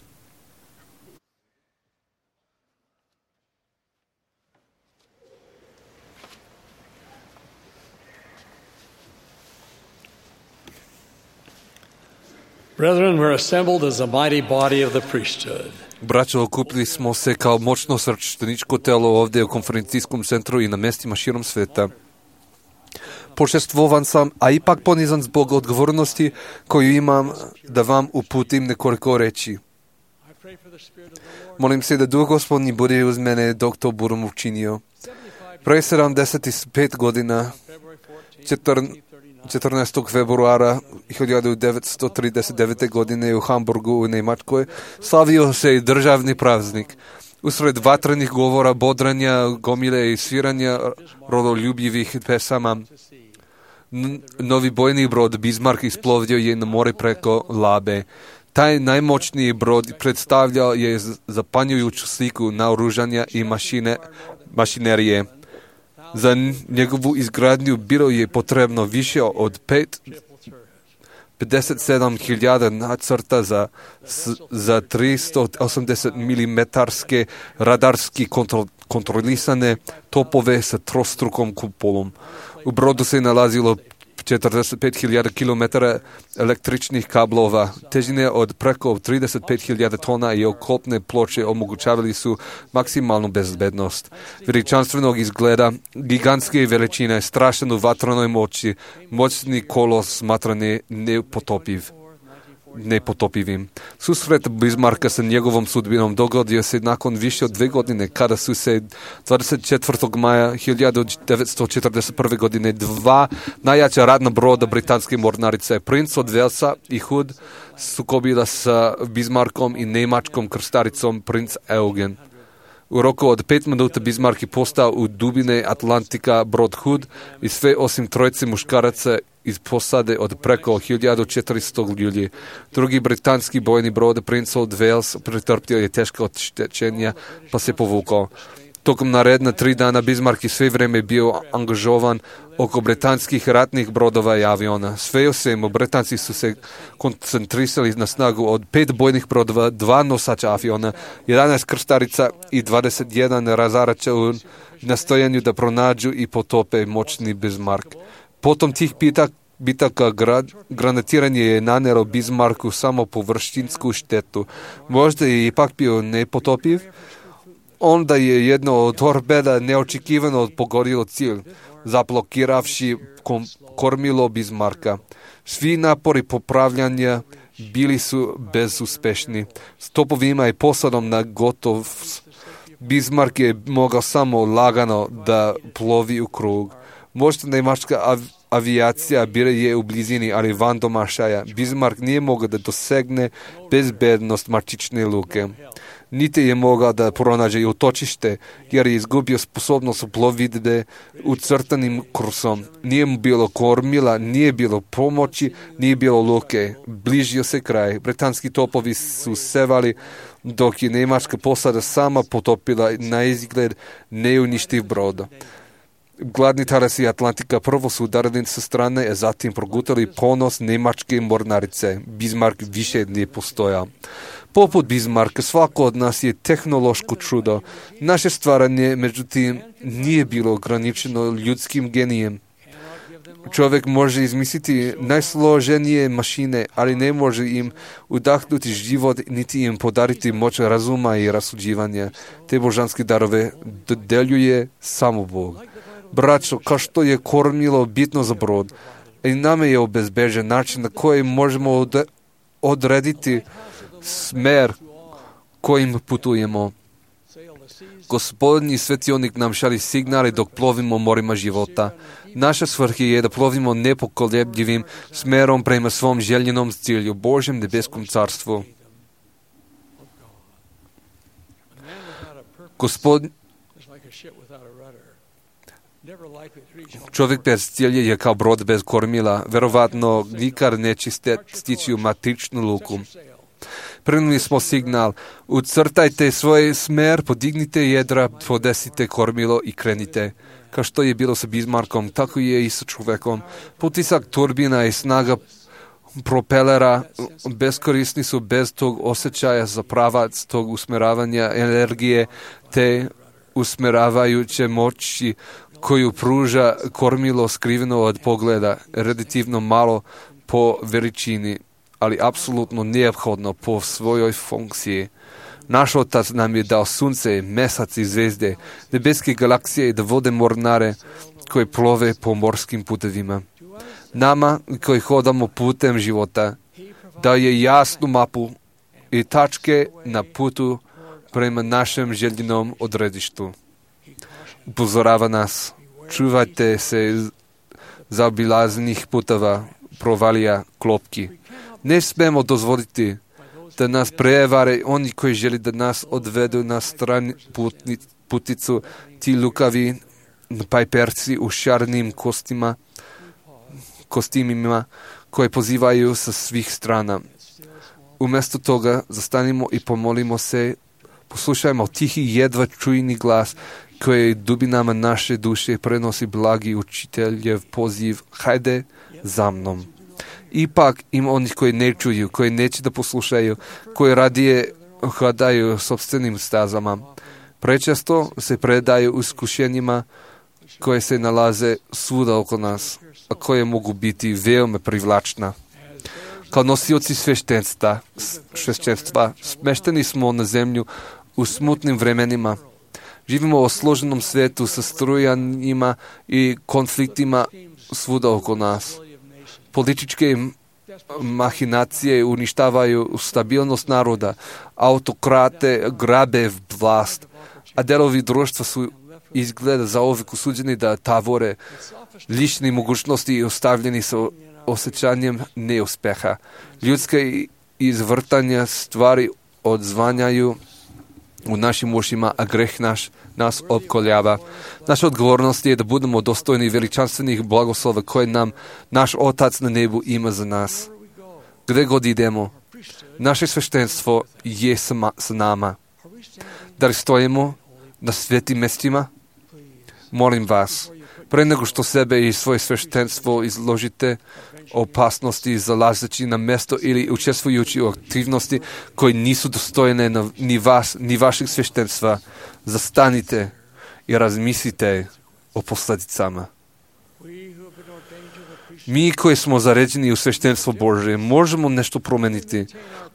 Brethren, we're assembled as a mighty body of the priesthood. Braćo, okupili smo se kao moćno svešteničko telo ovdje u konferencijskom centru i na mjestima širom sveta. Počestvovan sam, a ipak ponizan zbog odgovornosti koju imam da vam uputim nekoliko reći. Molim se da Duh Gospodnji bude uz mene dok to budem učinio. Pre sedamdeset pet godina, četrnaestog februara hiljadu devetsto trideset devete. godine u Hamburgu u Njemačkoj slavio se i državni praznik. Usred vatrenih govora, bodranja, gomile i sviranja rodoljubivih pesama, N- novi bojni brod Bismarck isplovio je na more preko Labe. Taj najmoćniji brod predstavljao je zapanjujuću sliku naoružanja i mašine, mašinerije. Za njegovu izgradnju bilo je potrebno više od pet, pedeset sedam hiljada nacrta za, za tristo osamdeset milimetarske radarski kontrol, kontrolisane topove sa trostrukom kupolom. U brodu se nalazilo četrdeset pet hiljada kilometara električnih kablova, težine od preko trideset pet hiljada tona i oklopne ploče omogućavali su maksimalnu bezbednost. Veličanstvenog izgleda, gigantske veličine, strašan u vatranoj moći, moćni kolos smatrane nepotopiv. nepotopivim. Susret Bismarcka sa njegovom sudbinom dogodio se nakon više od dve godine, kada su se dvadeset četvrtog maja hiljadu devetsto četrdeset prve. godine dva najjača ratna broda britanske mornarice, Prince od Walesa i Hood, sukobila sa Bismarckom i njemačkom krstaricom Prince Eugen. U roku od pet minuta Bismarck je postao u dubine Atlantika brod Hood i sve osim trojice muškaraca iz posade od preko hiljadu četiristo ljudi. Drugi britanski bojni brod Prince of Wales pretrpio je teška oštećenja pa se povukao. Tokom naredna tri dana Bismarck je sve vrijeme bio angažovan oko britanskih ratnih brodova i aviona. Sve u svemu, Britanci su se koncentrisali na snagu od pet bojnih brodova, dva nosača aviona, jedanaest krstarica i dvadeset jedan razarača u nastojanju da pronađu i potope moćni Bismarck. Potom tih pitak, bitaka grad, granatiranje je nanero Bismarcku samo površinsku štetu. Možda je ipak bio nepotopiv. Onda je jedno od torpeda neočekivano pogodilo cilj, zablokiravši kormilo Bismarcka. Svi napori popravljanja bili su bezuspešni. S topovima i posadom na gotov Bismarck je mogao samo lagano da plovi u krug. Možda njemačka av- avijacija bila je u blizini, ali van domašaja. Bismarck nije mogao da dosegne bezbednost matične luke. Niti je mogao da pronađe utočište, jer je izgubio sposobnost plovidbe ucrtanim kursom. Nije mu bilo kormila, nije bilo pomoći, nije bilo luke. Bližio se kraj. Britanski topovi su sevali, dok je njemačka posada sama potopila na izgled neuništiv brod. Gladni tarasi Atlantika prvo su udarili sa strane, a zatim progutali ponos njemačke mornarice. Bismarck više nije postojao. Poput Bismarcka, svako od nas je tehnološko čudo. Naše stvaranje, međutim, nije bilo ograničeno ljudskim genijem. Čovjek može izmisliti najsloženije mašine, ali ne može im udahnuti život, niti im podariti moć razuma i rasuđivanja. Te božanske darove dodeljuje samo Bog. Braćo, kao što je kormilo bitno za brod, i nama je obezbeđen način na koji možemo odrediti smer kojim putujemo. Gospodnji svetionik nam šalje signale dok plovimo morima života. Naša svrha je da plovimo nepokolebljivim smerom prema svom željenom cilju, Božjem nebeskom carstvu. Gospod... Čovjek bez cilja je kao brod bez kormila. Verovatno nikad neće stići u matičnu luku. Primili smo signal, ucrtajte svoj smer, podignite jedra, podesite kormilo i krenite. Kao što je bilo sa Bismarckom, tako je i sa čovjekom. Potisak turbina i snaga propelera beskorisni su bez tog osjećaja za pravac, tog usmeravanja energije, te usmeravajuće moći koju pruža kormilo skriveno od pogleda, relativno malo po veličini, ali apsolutno neophodno po svojoj funkciji. Naš Otac nam je dao sunce, mesac i zvezde, nebeske galaksije i da vode mornare koji plove po morskim putevima. Nama koji hodamo putem života daje jasnu mapu i tačke na putu prema našem željenom odredištu. Upozorava nas, čuvajte se zaobilaznih puteva, provalija, klopki. Ne smemo dozvoliti da nas prevare oni koji želi da nas odvedu na stranu putni, puticu, ti lukavi pajperci u šarnim kostima, kostimima koje pozivaju sa svih strana. Umjesto toga zastanimo i pomolimo se, poslušajmo tihi jedva čujni glas koji dubinama naše duše prenosi blagi učiteljev poziv, hajde za mnom. Ipak ima onih koji ne čuju, koji neće da poslušaju, koji radije hodaju sopstvenim stazama. Prečesto se predaju iskušenjima koje se nalaze svuda oko nas, a koje mogu biti veoma privlačna. Kao nosioci sveštenstva, sveštenstva smešteni smo na zemlju u smutnim vremenima. Živimo u složenom svijetu sa strujanjima i konfliktima svuda oko nas. Političke mahinacije uništavaju stabilnost naroda, autokrate grabe vlast, a delovi društva su izgleda za uvijek osuđeni da tavore lične mogućnosti i ostavljeni sa osjećanjem neuspeha. Ljudske izvrtanja stvari odzvanjaju u našim ušima, a greh naš nas opkoljava. Naša odgovornost je da budemo dostojni veličanstvenih blagoslova koje nam naš Otac na nebu ima za nas. Gde god idemo, naše sveštenstvo je sa nama. Da li stojimo na svetim mjestima? Molim vas, pre nego što sebe i svoje sveštenstvo izložite opasnosti zalazeći na mjesto ili učestvujući u aktivnosti koje nisu dostojne na, ni vas, ni vašeg sveštenstva, zastanite i razmislite o posljedicama. Mi koji smo zaređeni u sveštenstvo Božje možemo nešto promeniti.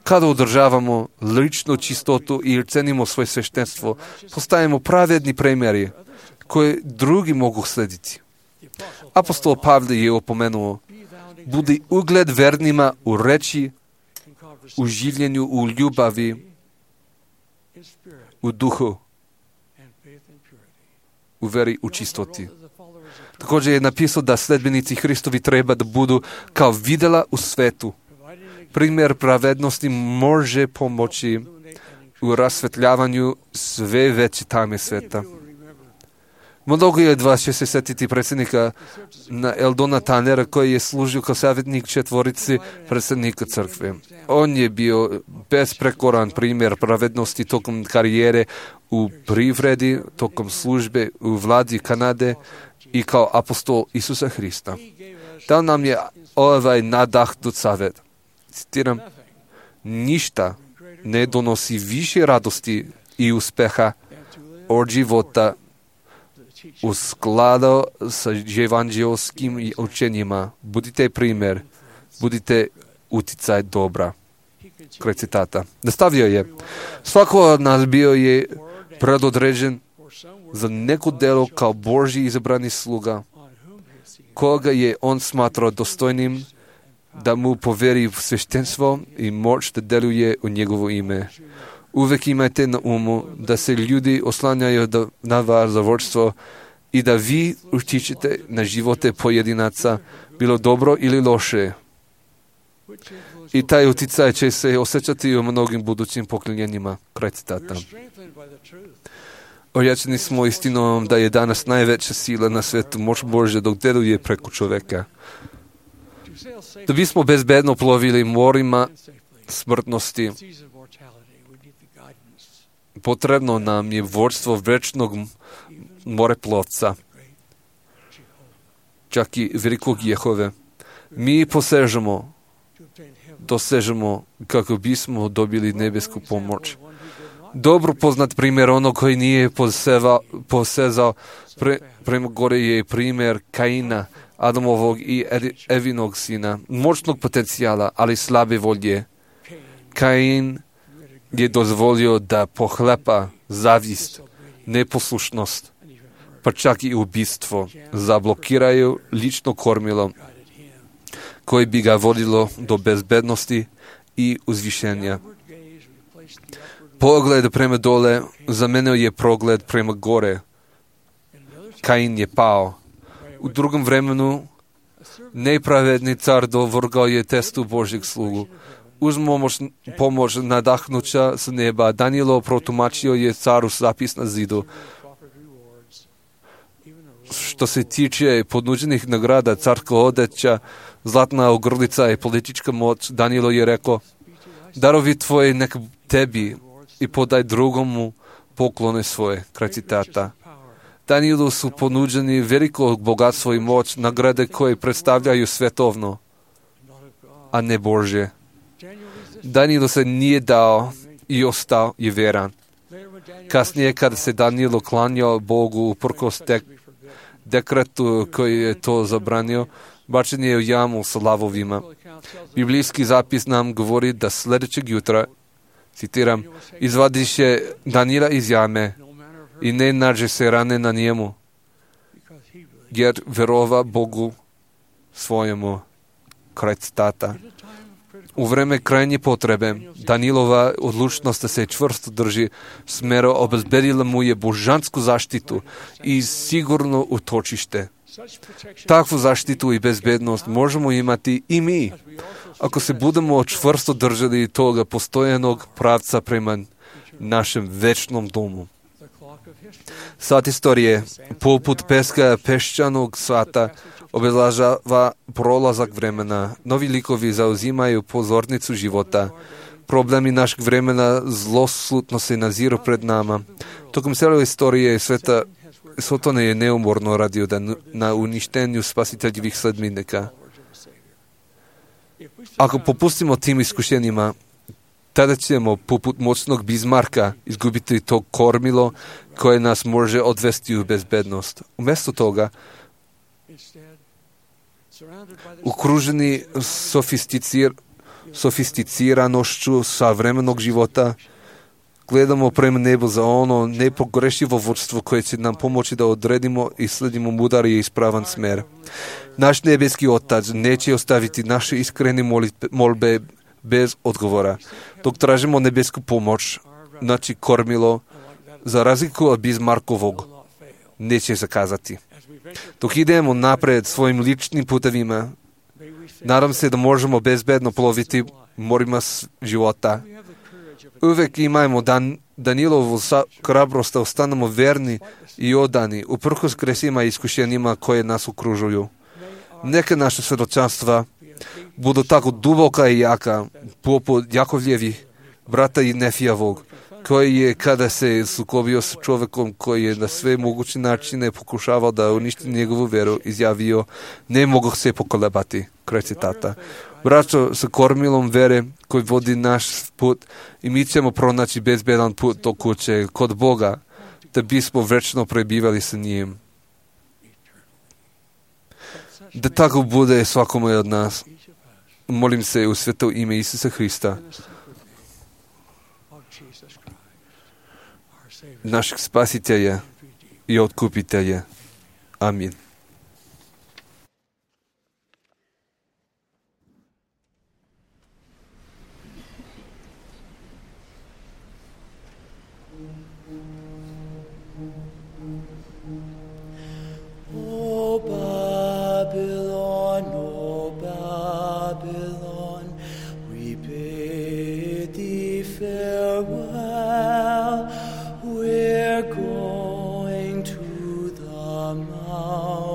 Kada održavamo ličnu čistotu i cenimo svoje sveštenstvo, postajemo pravedni primjeri koje drugi mogu slediti. Apostol Pavle je opomenuo, budi ugled vernima u reči, u življenju, u ljubavi, u duhu, u veri, u čistoti. Također je napisao da sledbenici Hristovi treba da budu kao videla u svetu. Primjer pravednosti može pomoći u rasvetljavanju sve veće tame sveta. Mnogo je od vas će se setiti predsjednika Eldona Tanera koji je služio kao savjetnik četvorici predsjednika crkve. On je bio besprekoran primjer pravednosti tokom karijere u privredi, tokom službe u vladi Kanade i kao apostol Isusa Hrista. Dao nam je ovaj nadahnut savjet. Citiram, ništa ne donosi više radosti i uspeha od života u skladu sa evanđelskim učenjima. Budite primjer, budite uticaj dobra. Kraj citata. Nastavio je, svako od nas bio je predodređen za neko delo kao Božji izabrani sluga, koga je on smatrao dostojnim da mu poveri sveštenstvo i moć da deluje u njegovo ime. Uvek imajte na umu da se ljudi oslanjaju na vas za vodstvo i da vi utičete na živote pojedinaca, bilo dobro ili loše. I taj uticaj će se osjećati u mnogim budućim pokoljenjima. Kraj citata. Ojačeni smo istinom da je danas najveća sila na svetu moć Božja dok deluje preko čoveka. Da bismo bezbedno plovili morima smrtnosti, potrebno nam je vodstvo večnog moreplovca, čak i velikog Jehove. Mi posežemo, dosežemo kako bismo dobili nebesku pomoć. Dobro poznat primjer onog koji nije poseva, posezao pre, prema gore je primjer Kaina, Adamovog i Evinog sina, moćnog potencijala, ali slabe volje. Kain je dozvolio da pohlepa zavist, neposlušnost, pa čak i ubistvo zablokiraju lično kormilo koje bi ga vodilo do bezbednosti i uzvišenja. Pogled prema dole zamenio je pogled prema gore. Kain je pao. U drugom vremenu nepravedni car dovrgao je testu Božjeg slugu. Uz pomoć nadahnuća s neba, Danilo protumačio je caru zapis na zidu. Što se tiče ponuđenih nagrada, carska odeća, zlatna ogrlica i politička moć, Danilo je rekao, darovi tvoji nek tebi i podaj drugomu poklone svoje. Kraj citata. Danielu su ponuđeni veliko bogatstvo i moć, nagrade koje predstavljaju svetovno, a ne Božje. Danielu se nije dao i ostao je vjeran. Kasnije, kada se Danilo klanjao Bogu uprkos dek, dekretu koji je to zabranio, bačen je u jamu sa lavovima. Biblijski zapis nam govori da sljedećeg jutra, citiram, izvadiše Danila iz jame i ne nađe se rane na njemu, jer verova Bogu svojemu. Kraj citata. U vreme krajnje potrebe, Danilova odlučnost da se čvrsto drži smero obezbedila mu je božansku zaštitu i sigurno utočište. Takvu zaštitu i bezbednost možemo imati i mi, ako se budemo čvrsto držali toga postojanog pravca prema našem večnom domu. Sat istorije, poput peska peščanog sata, obeležava prolazak vremena. Novi likovi zauzimaju pozornicu života. Problemi našeg vremena zloslutno se naziru pred nama. Tokom cijele istorije sveta Satan je neumorno radio da na uništenju spasiteljivih sledbenika. Ako popustimo tim iskušenjima, tada ćemo, poput moćnog Bismarka, izgubiti to kormilo koje nas može odvesti u bezbednost. Umjesto toga, okruženi sofisticir, sofisticiranošću savremenog života, gledamo prema nebu za ono nepogrešivo vodstvo koje će nam pomoći da odredimo i sledimo mudar i ispravan smer. Naš nebeski Otac neće ostaviti naše iskrene molbe bez odgovora. Dok tražimo nebesku pomoć, znači kormilo, za razliku od Bismarckovog, neće zakazati. Dok idemo napred svojim ličnim putevima, nadam se da možemo bezbedno ploviti morima života. Uvek imajmo Dan, Danilovu hrabrost da ostanemo verni i odani uprkos kresima i iskušenjima koje nas okružuju. Neka naša svjedočanstva budu tako duboka i jaka, poput Jakovljevih brata i Nefijavog, koji je, kada se sukobio s čovjekom koji je na sve moguće načine pokušavao da uništi njegovu veru, izjavio, ne mogu se pokolebati. Kraj citata. Braćo, sa kormilom vere koji vodi naš put i mi ćemo pronaći bezbedan put do kuće kod Boga, da bismo večno prebivali sa njim. Da tako bude svakome od nas. Molim se u sveto ime Isusa Hrista, našeg spasitelja i otkupitelja. Amin. O Babylon, O Babylon, we bid thee farewell. We're going to the mountain.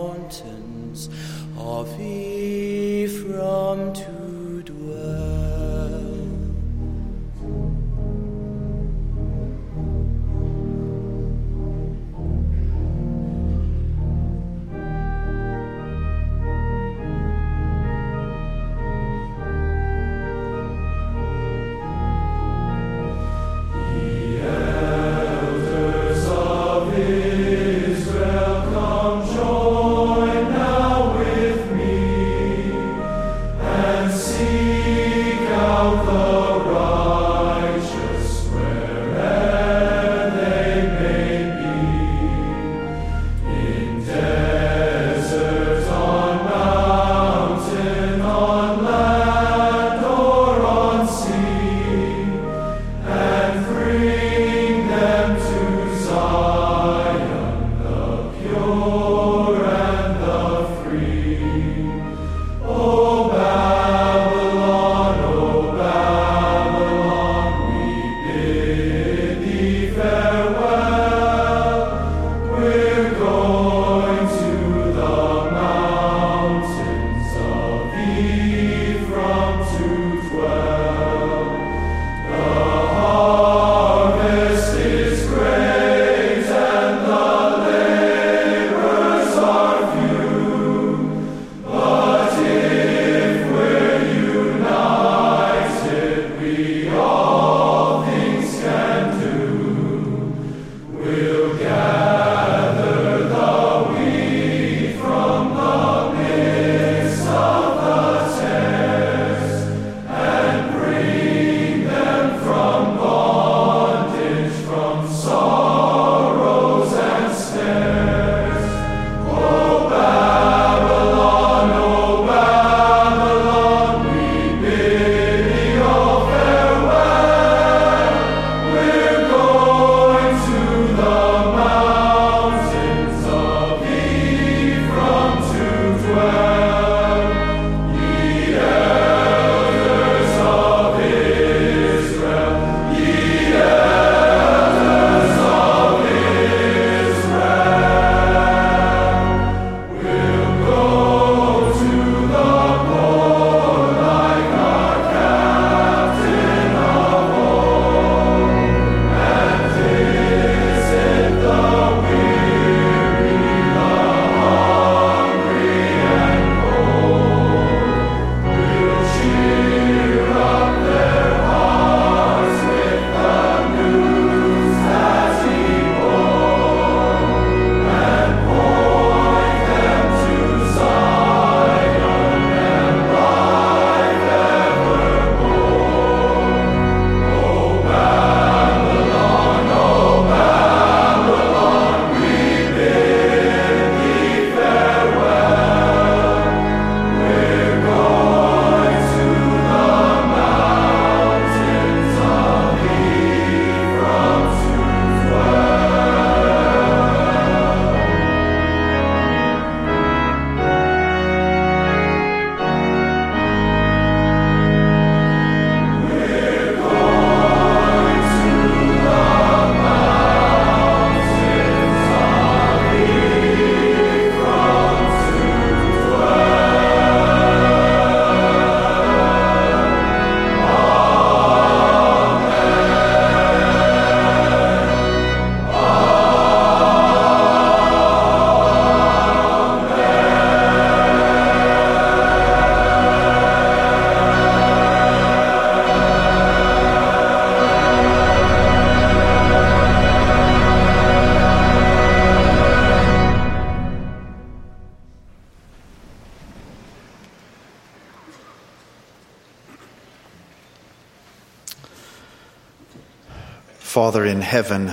Father in heaven,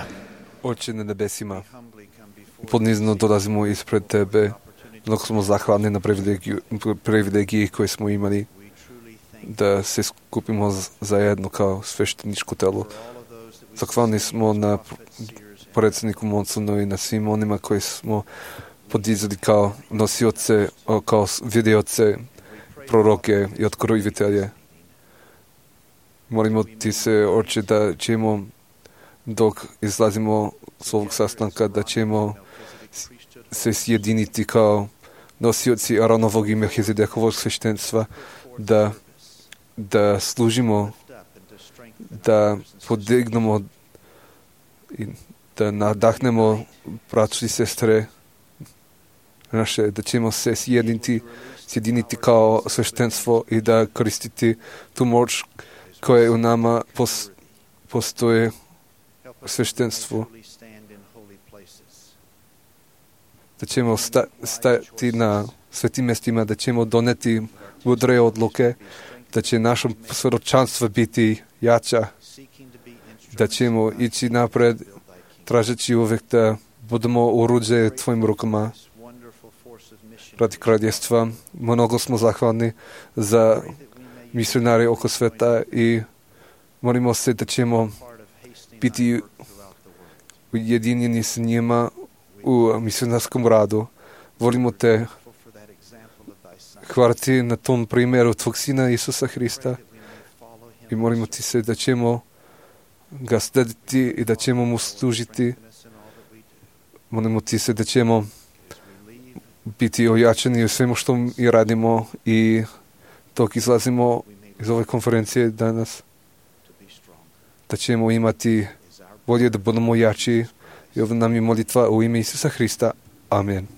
Oče na nebesima, ponizno dolazimo ispred Tebe. Mnogo smo zahvalni na privilegiju, privilegiji koje smo imali da se skupimo zajedno kao svešteničko telo. Zahvalni smo na predsjedniku Monsonu i na svim onima koji smo podizali kao nosioce, kao vidioce, proroke i otkrivitelje. Molimo Ti se, Oče, da ćemo dok izlazimo s ovog sastanka, da ćemo se sjediniti kao nosioci Aronovog i Melchizedekovog sveštenstva, da, da služimo, da podignemo i da nadahnemo braću i sestre naše, da ćemo se sjediniti, sjediniti kao sveštenstvo i da koristiti tu moć koja u nama pos, postoje u sveštenstvu. Da ćemo sta, stati na svetim mjestima, da ćemo doneti mudre odluke, da će naše svjedočanstvo biti jača, da ćemo ići napred, tražeći uvijek da budemo oruđe Tvojim rukama radi kraljevstva. Mnogo smo zahvalni za misionare oko sveta i molimo se da ćemo biti ujedinjeni s njima u misionarskom radu. Volimo Te hvala Ti na tom primjeru Tvog Sina Isusa Hrista i molimo Ti se da ćemo ga slediti i da ćemo mu služiti. Molimo Ti se da ćemo biti ojačani u svemu što mi radimo i dok izlazimo iz ove konferencije danas, da ćemo imati volje da budemo jači. I ovo nam je molitva u ime Isusa Hrista. Amen.